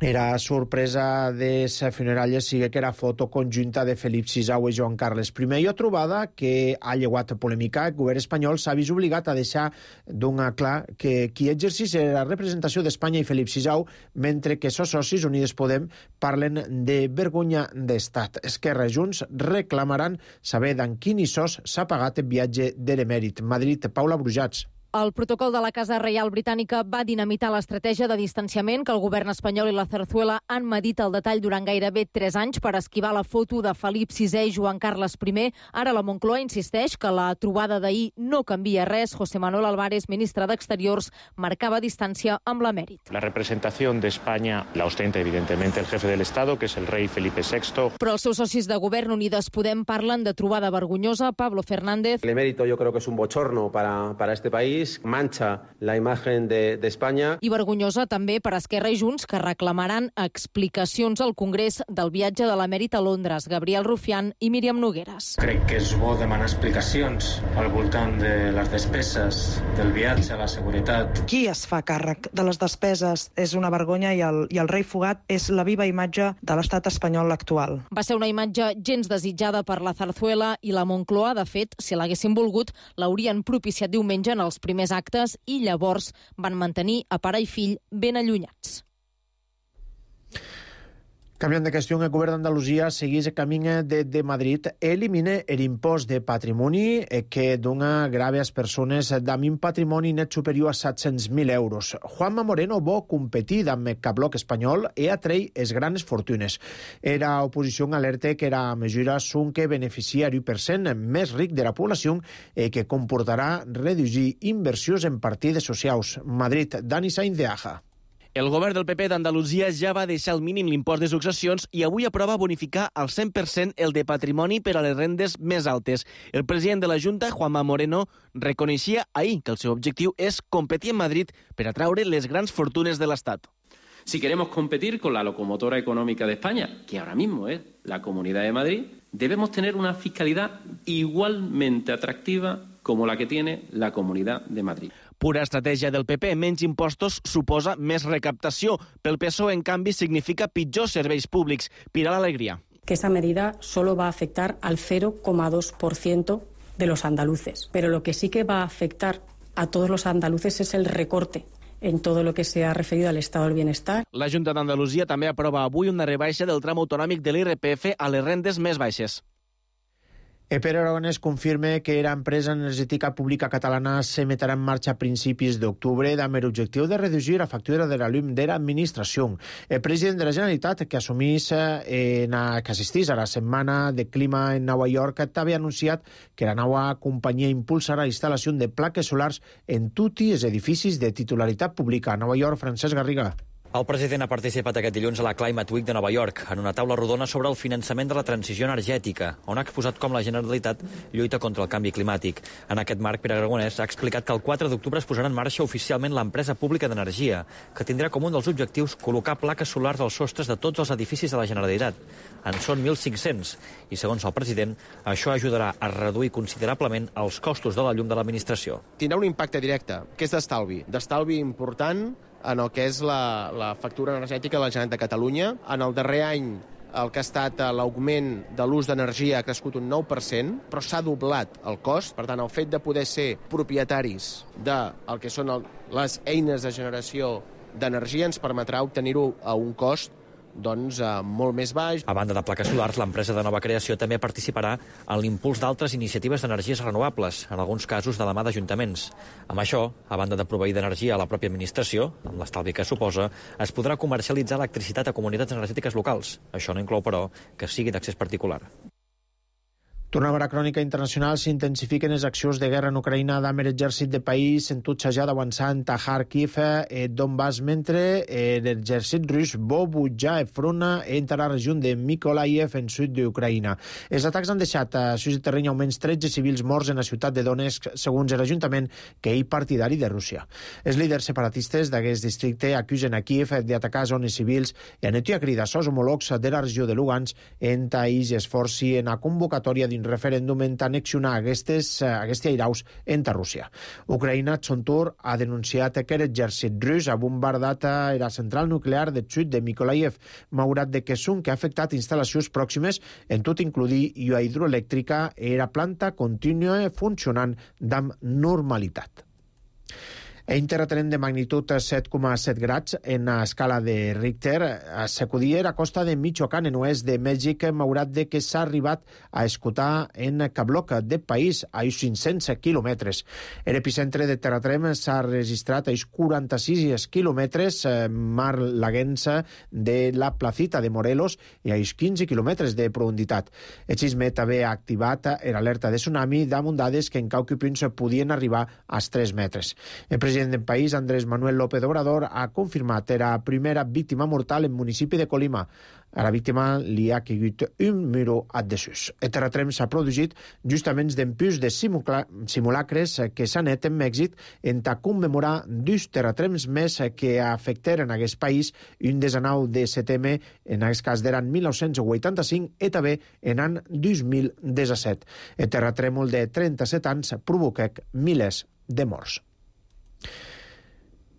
Era sorpresa de les funeralles sigue que era foto conjunta de Felip VI i Joan Carles I. Hi ha trobada que ha llevat polèmica. El govern espanyol s'ha vist obligat a deixar d'un clar que qui exercís la representació d'Espanya i Felip VI, mentre que sos socis Unides Podem parlen de vergonya d'estat. Esquerra i Junts reclamaran saber d'en quin sos s'ha pagat el viatge de l'emèrit. Madrid, Paula Brujats. El protocol de la Casa Reial Britànica va dinamitar l'estratègia de distanciament que el govern espanyol i la Zarzuela han medit al detall durant gairebé 3 anys per esquivar la foto de Felip VI i Joan Carles I. Ara la Moncloa insisteix que la trobada d'ahir no canvia res. José Manuel Álvarez, ministre d'Exteriors, marcava distància amb l'emèrit. La representación de España la ostenta evidentemente el jefe del Estado, que es el rey Felipe VI. Però els seus socis de govern Unides Podem parlen de trobada vergonyosa. Pablo Fernández. El emérito yo creo que es un bochorno para este país. Mancha la imagen de España. I vergonyosa també per Esquerra i Junts, que reclamaran explicacions al Congrés del viatge de l'emèrit a Londres. Gabriel Rufián i Míriam Nogueras. Crec que és bo demanar explicacions al voltant de les despeses del viatge, la seguretat. Qui es fa càrrec de les despeses és una vergonya i el rei fugat és la viva imatge de l'estat espanyol actual. Va ser una imatge gens desitjada per la Zarzuela i la Moncloa. De fet, si l'haguessin volgut, l'haurien propiciat diumenge en els primers actes i llavors van mantenir a pare i fill ben allunyats. Canviant de qüestió, el govern d'Andalusia segueix el camí de Madrid, elimina l'impost de patrimoni que dona grave a les persones amb un patrimoni net superior a 700.000 euros. Juanma Moreno vol competir amb el bloc espanyol i atreure les grans fortunes. Era oposició alerta que la mesura són que beneficia el 1% més ric de la població i que comportarà reduir inversions en partides socials. Madrid, Dani Sainz de Aja. El govern del PP d'Andalusia ja va deixar al mínim l'impost de successions i avui aprova bonificar al 100% el de patrimoni per a les rendes més altes. El president de la Junta, Juanma Moreno, reconeixia ahir que el seu objectiu és competir en Madrid per atraure les grans fortunes de l'Estat. Si queremos competir con la locomotora económica de España, que ahora mismo es la Comunidad de Madrid, debemos tener una fiscalidad igualmente atractiva como la que tiene la Comunidad de Madrid. Pura estratègia del PP, menys impostos suposa més recaptació. Pel PSOE, en canvi, significa pitjors serveis públics. Pilar Alegría. Que esa medida solo va a afectar al 0,2% de los andaluces. Pero lo que sí que va a afectar a todos los andaluces es el recorte en todo lo que se ha referido al estado del bienestar. La Junta d'Andalusia també aprova avui una rebaixa del tram autonòmic de l'IRPF a les rendes més baixes. Pere Aragonès confirma que l'empresa energètica pública catalana s'emetrà en marxa a principis d'octubre amb l'objectiu de reduir la factura de la llum de l'administració. El president de la Generalitat, que assistís a la Setmana de Clima en Nova York, també ha anunciat que la nova companyia impulsarà la instal·lació de plaques solars en tots els edificis de titularitat pública. A Nova York, Francesc Garriga. El president ha participat aquest dilluns a la Climate Week de Nova York, en una taula rodona sobre el finançament de la transició energètica, on ha exposat com la Generalitat lluita contra el canvi climàtic. En aquest marc, Pere Aragonès ha explicat que el 4 d'octubre es posarà en marxa oficialment l'empresa pública d'energia, que tindrà com un dels objectius col·locar plaques solars als sostres de tots els edificis de la Generalitat. En són 1.500, i segons el president, això ajudarà a reduir considerablement els costos de la llum de l'administració. Tindrà un impacte directe, que és d'estalvi important en el que és la factura energètica de la Generalitat de Catalunya. En el darrer any el que ha estat l'augment de l'ús d'energia ha crescut un 9%, però s'ha doblat el cost. Per tant, el fet de poder ser propietaris del que són les eines de generació d'energia ens permetrà obtenir-ho a un cost molt més baix. A banda de plaques solars, l'empresa de nova creació també participarà en l'impuls d'altres iniciatives d'energies renovables, en alguns casos de la mà d'ajuntaments. Amb això, a banda de proveir d'energia a la pròpia administració, amb l'estalvi que suposa, es podrà comercialitzar electricitat a comunitats energètiques locals. Això no inclou, però, que sigui d'accés particular. Tornem a la crònica internacional. S'intensifiquen les accions de guerra en Ucraïna amb l'exèrcit de país en tutxejar d'avançant a Kharkiv, Donbass, mentre l'exèrcit rus vol butjar front entre la regió de Mykolaiv en sud d'Ucraïna. Els atacs han deixat a sus terreny almenys 13 civils morts en la ciutat de Donetsk, segons l'Ajuntament, que és partidari de Rússia. Els líders separatistes d'aquest districte acusen a Kiev d'atacar zones civils i han etit a cridar als homòlegs de la regió de Lugansk en taís i esforci en la convocatòria d'un quin referèndum en annexionar aquests airaus entre Rússia. Ucraïna, son tour, ha denunciat que l'exèrcit rus ha bombardat la central nuclear de sud de Mykolaiv, malgrat de que són que ha afectat instal·lacions pròximes, en tot incluir la hidroelèctrica, i la planta continua funcionant amb normalitat. En terratrèmol de magnitud 7,7 grads en la escala de Richter sacudia la costa de Michoacán, en oest de Mèxic, malgrat de que s'ha arribat a escoltar en Cabloc del país, a 500 quilòmetres. L'epicentre de terratrèmol s'ha registrat a 46 quilòmetres mar laguença de la Placita de Morelos i a 15 quilòmetres de profunditat. El sisme també ha activat l'alerta de tsunami damunt dades que en qualque punts podien arribar als 3 metres. El president del país, Andrés Manuel López Obrador, ha confirmat la primera víctima mortal en municipi de Colima. A la víctima li ha caigut un muro adhesius. El terratrèmol s'ha produït justament d'empús de simulacres que s'han net en Mèxic en commemorar dos terratrèmols més que afectaren aquest país, un 19 de setembre, en aquest cas d'eren 1985, i també en l'any 2017. El terratrèmol de 37 anys provoca milers de morts.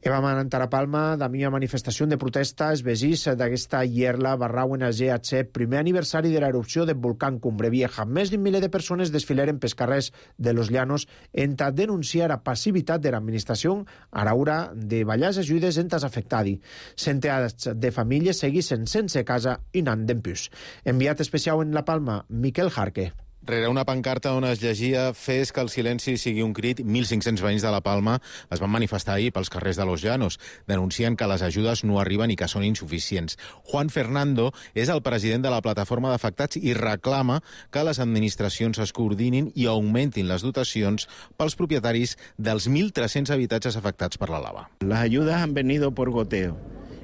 Vam anar a Palma de mi manifestació de protesta els veïns d'aquesta Ierla Barrauen a GHC, primer aniversari de l'erupció del volcà Cumbre Vieja. Més d'un miler de persones desfileren pels carrers de Los Llanos en denunciar la passivitat de l'administració a l'hora de ballar les ajudes en els afectats. Centenars de famílies seguissin sense casa i anant d'empús. Enviat especial en la Palma, Miquel Jarque. Rere una pancarta on es llegia «Fes que el silenci sigui un crit», 1.500 veïns de la Palma es van manifestar ahir pels carrers de Los Llanos. Denuncien que les ajudes no arriben i que són insuficients. Juan Fernando és el president de la plataforma d'afectats i reclama que les administracions es coordinin i augmentin les dotacions pels propietaris dels 1.300 habitatges afectats per la lava. Las ayudas han venido por goteo.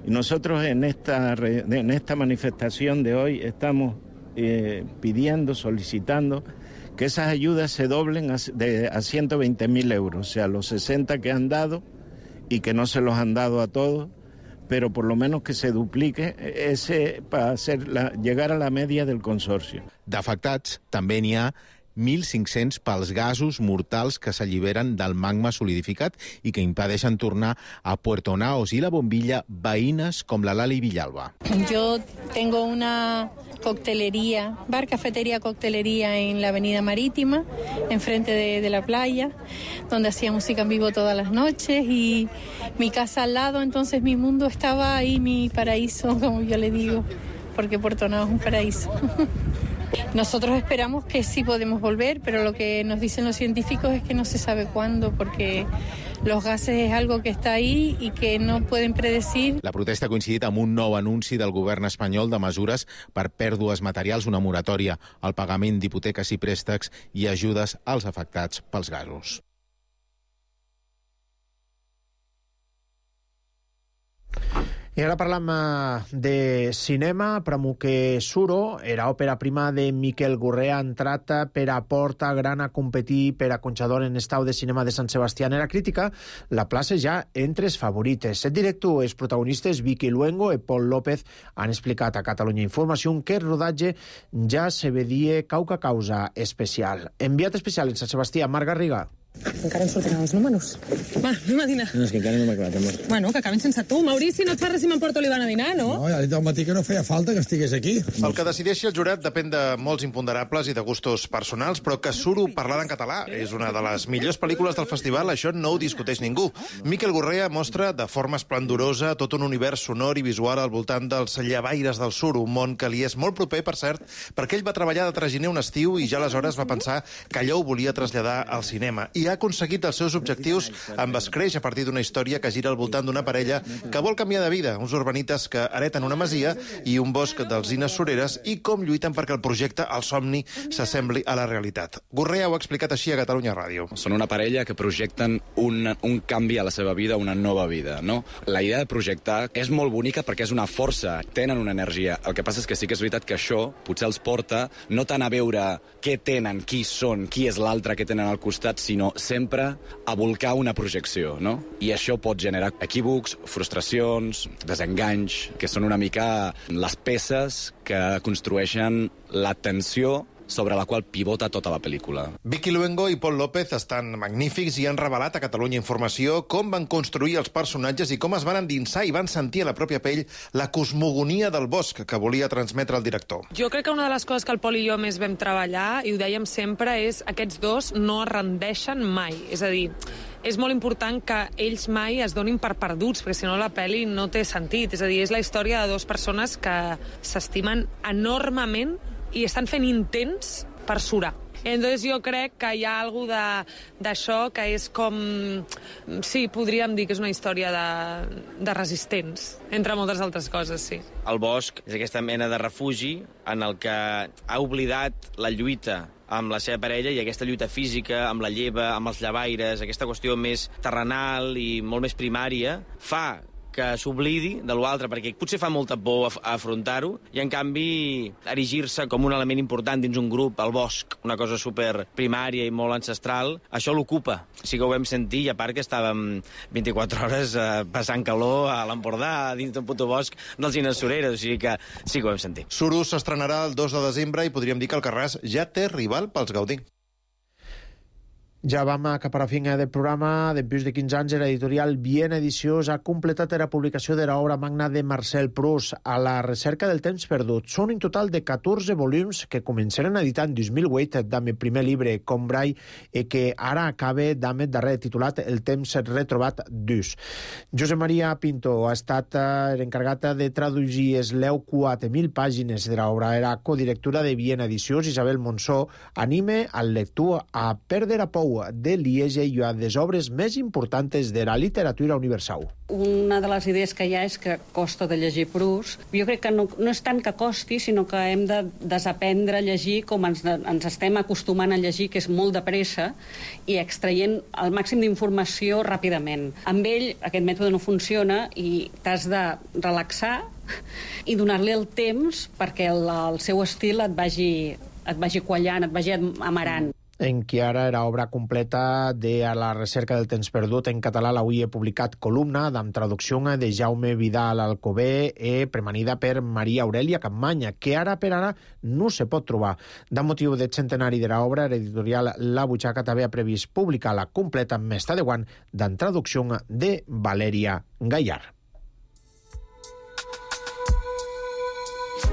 Y nosotros en esta manifestación de hoy estamos pidiendo, solicitando que esas ayudas se doblen a 120.000 euros, o sea, los 60 que han dado y que no se los han dado a todos, pero por lo menos que se duplique ese para llegar a la media del consorcio. D'afectats també n'hi ha 1.500 pels gasos mortals que s'alliberen del magma solidificat i que impedeixen tornar a Puerto Naos i la Bombilla veïnes com la Lali Villalba. Yo tengo una coctelería, bar, cafetería, coctelería en la Avenida Marítima, enfrente de la playa, donde hacía música en vivo todas las noches y mi casa al lado, entonces mi mundo estaba ahí, mi paraíso, como yo le digo, porque Puerto Naos es un paraíso. Nosotros esperamos que sí podemos volver, pero lo que nos dicen los científicos es que no se sabe cuándo, porque los gases es algo que está ahí y que no pueden predecir. La protesta ha coincidit amb un nou anunci del govern espanyol de mesures per pèrdues materials, una moratòria al pagament d'hipoteques i préstecs i ajudes als afectats pels gasos. I ara parlam de cinema. Pramuque Suro, era òpera prima de Miquel Gurrea, ha entrat per a Porta Gran a competir per a Conxador en estau de cinema de Sant Sebastià. En la crítica, la plaça ja entre els favorites. El director i els protagonistes Vicky Luengo i Pol López han explicat a Catalunya Informació que el rodatge ja se vedia causa especial. Enviat especial en Sant Sebastià, Marc Garriga. Encara em sortiran els números. Va, anem a dinar. No, és que encara no m'ha acabat, amor. Bueno, que acabin sense tu. Maurici, no et fa res si m'emporto l'Ivan a dinar, no? No, ja ha dit al matí que no feia falta que estigués aquí. El que decideixi el jurat depèn de molts imponderables i de gustos personals, però que Suro parlada en català és una de les millors pel·lícules del festival, això no ho discuteix ningú. Miquel Gurrea mostra de forma esplendorosa tot un univers sonor i visual al voltant dels llevaires del Suro, un món que li és molt proper, per cert, perquè ell va treballar de traginer un estiu i ja aleshores va pensar que allò ho volia traslladar al cinema. I ha aconseguit els seus objectius amb Escreix, a partir d'una història que gira al voltant d'una parella que vol canviar de vida, uns urbanites que hereten una masia i un bosc d'alzines sureres i com lluiten perquè el projecte, el somni, s'assembli a la realitat. Gurrea ho ha explicat així a Catalunya Ràdio. Són una parella que projecten un canvi a la seva vida, una nova vida, no? La idea de projectar és molt bonica perquè és una força, tenen una energia. El que passa és que sí que és veritat que això potser els porta no tant a veure què tenen, qui són, qui és l'altre que tenen al costat, sinó sempre a volcar una projecció, no? I això pot generar equívocs, frustracions, desenganys, que són una mica les peces que construeixen la tensió sobre la qual pivota tota la pel·lícula. Vicky Luengo i Pol López estan magnífics i han revelat a Catalunya Informació com van construir els personatges i com es van endinsar i van sentir a la pròpia pell la cosmogonia del bosc que volia transmetre el director. Jo crec que una de les coses que el Pol i jo més vam treballar, i ho dèiem sempre, és aquests dos no es rendeixen mai. És a dir, és molt important que ells mai es donin per perduts, perquè si no la pel·li no té sentit. És a dir, és la història de dues persones que s'estimen enormement i estan fent intents per surar. Entonces jo crec que hi ha alguna d'això que és com... Sí, podríem dir que és una història de resistents, entre moltes altres coses, sí. El bosc és aquesta mena de refugi en el que ha oblidat la lluita amb la seva parella i aquesta lluita física, amb la lleva, amb els llevaires, aquesta qüestió més terrenal i molt més primària, fa que s'oblidi de l'altre, perquè potser fa molta por afrontar-ho, i en canvi erigir-se com un element important dins un grup, el bosc, una cosa super primària i molt ancestral, això l'ocupa. Sí que ho vam sentir, i a part que estàvem 24 hores passant calor a l'Empordà, dins d'un puto bosc dels Ines Sureres, o sigui que sí que ho vam sentir. Suro s'estrenarà el 2 de desembre i podríem dir que Alcarràs ja té rival pels Gaudí. Ja vam cap a la fin del programa. Després de 15 anys, l'editorial Viena Edicions ha completat la publicació de l'obra magna de Marcel Proust, A la recerca del temps perdut. Són un total de 14 volums que començaren a editar en 2008 amb el primer llibre, Combray, i que ara acaba amb el darrer, titulat El temps retrobat d'ús. Josep Maria Pinto ha estat l'encarregat de traduir les 4.000 pàgines de l'obra. Era codirectora de Viena Edicions. Isabel Monsó anima al lector a perdre a pou de Liege i a les obres més importants de la literatura universal. Una de les idees que hi ha és que costa de llegir Proust. Jo crec que no és tant que costi, sinó que hem de desaprendre a llegir com ens estem acostumant a llegir, que és molt de pressa, i extraient el màxim d'informació ràpidament. Amb ell aquest mètode no funciona i t'has de relaxar i donar-li el temps perquè el seu estil et vagi quallant, et vagi amarant. En qui ara era obra completa de A la recerca del temps perdut en català. L'avui he publicat columna amb traducció de Jaume Vidal Alcobé premanida per Maria Aurelia Campmanya, que ara per ara no se pot trobar. De motiu del centenari de l'obra, l'editorial La Butxaca també ha previst publicar la completa més de guant amb traducció de Valeria Gallar.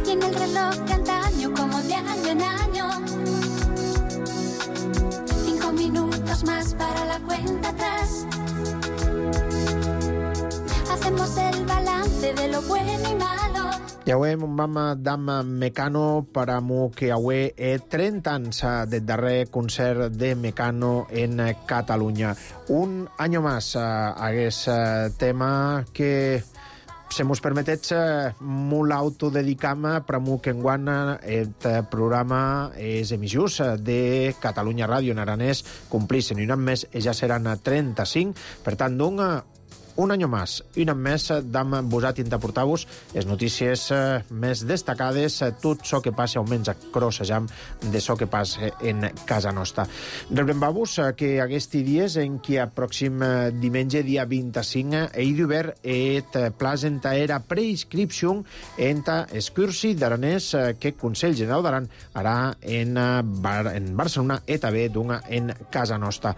Y en el reloj de antaño, como de año en año, 5 minutos más para la cuenta atrás. Hacemos el balance de lo bueno y malo. Ja ho hem vam d'am Mecano per a mu que avui 30 anys del darrer concert de Mecano en Catalunya. Un any més hagués tema que se mos permetets molt autodedicam per a mu que enguany el programa és emissors de Catalunya Ràdio en aranès complixen i un any més ja seran 35, per tant un any més i un any més d'am vosat interportar-vos les notícies més destacades, tot això que passa almenys a crossejam de això que passa en casa nostra. Rebrem-vos que aquests dies en què a pròxim diumenge, dia 25, he d'obert et presenta era preinscripció en excursi d'aranès que el Consell General d'Aran harà en Barcelona i també en casa nostra.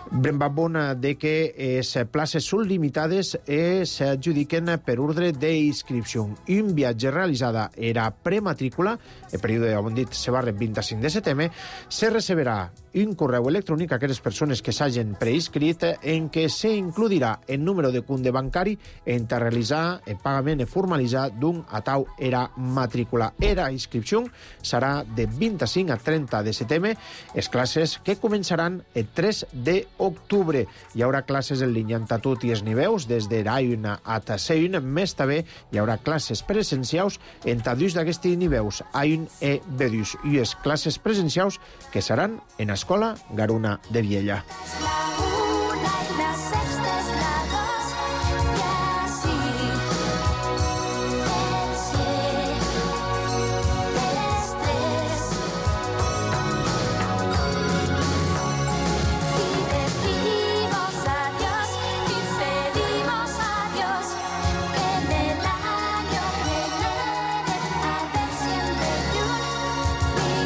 Rebrem-vos de que les places són limitades s'adjudiquen per ordre d'inscripció. Un viatge realitzada era prematrícula, el període, com hem dit, se va el 25 de setembre, se receberà un correu electrònic a aquelles persones que s'hagin preinscrit en què s'includirà el número de compte bancari en realitzar el pagament i formalitzar d'un atau era matrícula. Era inscripció serà de 25 a 30 de setembre, les classes que començaran el 3 d'octubre. Hi haurà classes en línia en tot i els nivells, des de A1 a C1, més també hi haurà classes presencials en dos d'aquests nivells, A1 i B2, i les classes presencials que seran en Escola Garuna de Viella.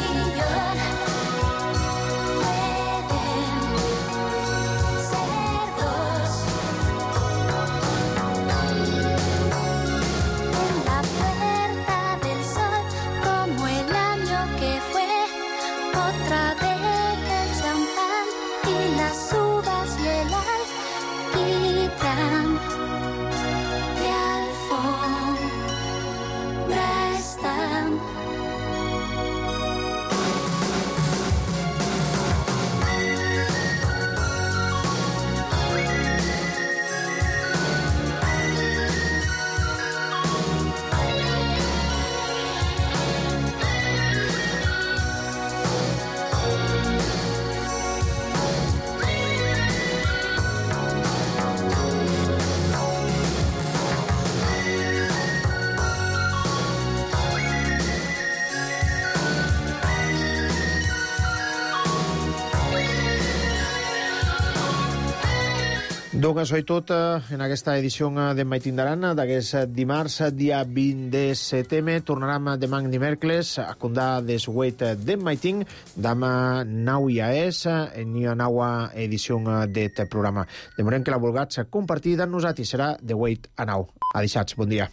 Millón Doncs això tot en aquesta edició de Maitín d'Arana d'aquest dimarts, dia 20 de setembre. Tornarem demà dimecres a condar des 8 de Maitín, demà 9 ja és, en una nova edició d'aquest programa. Demorem que la vulguis compartir amb nosaltres, serà de 8 a 9. Adéixats, bon dia.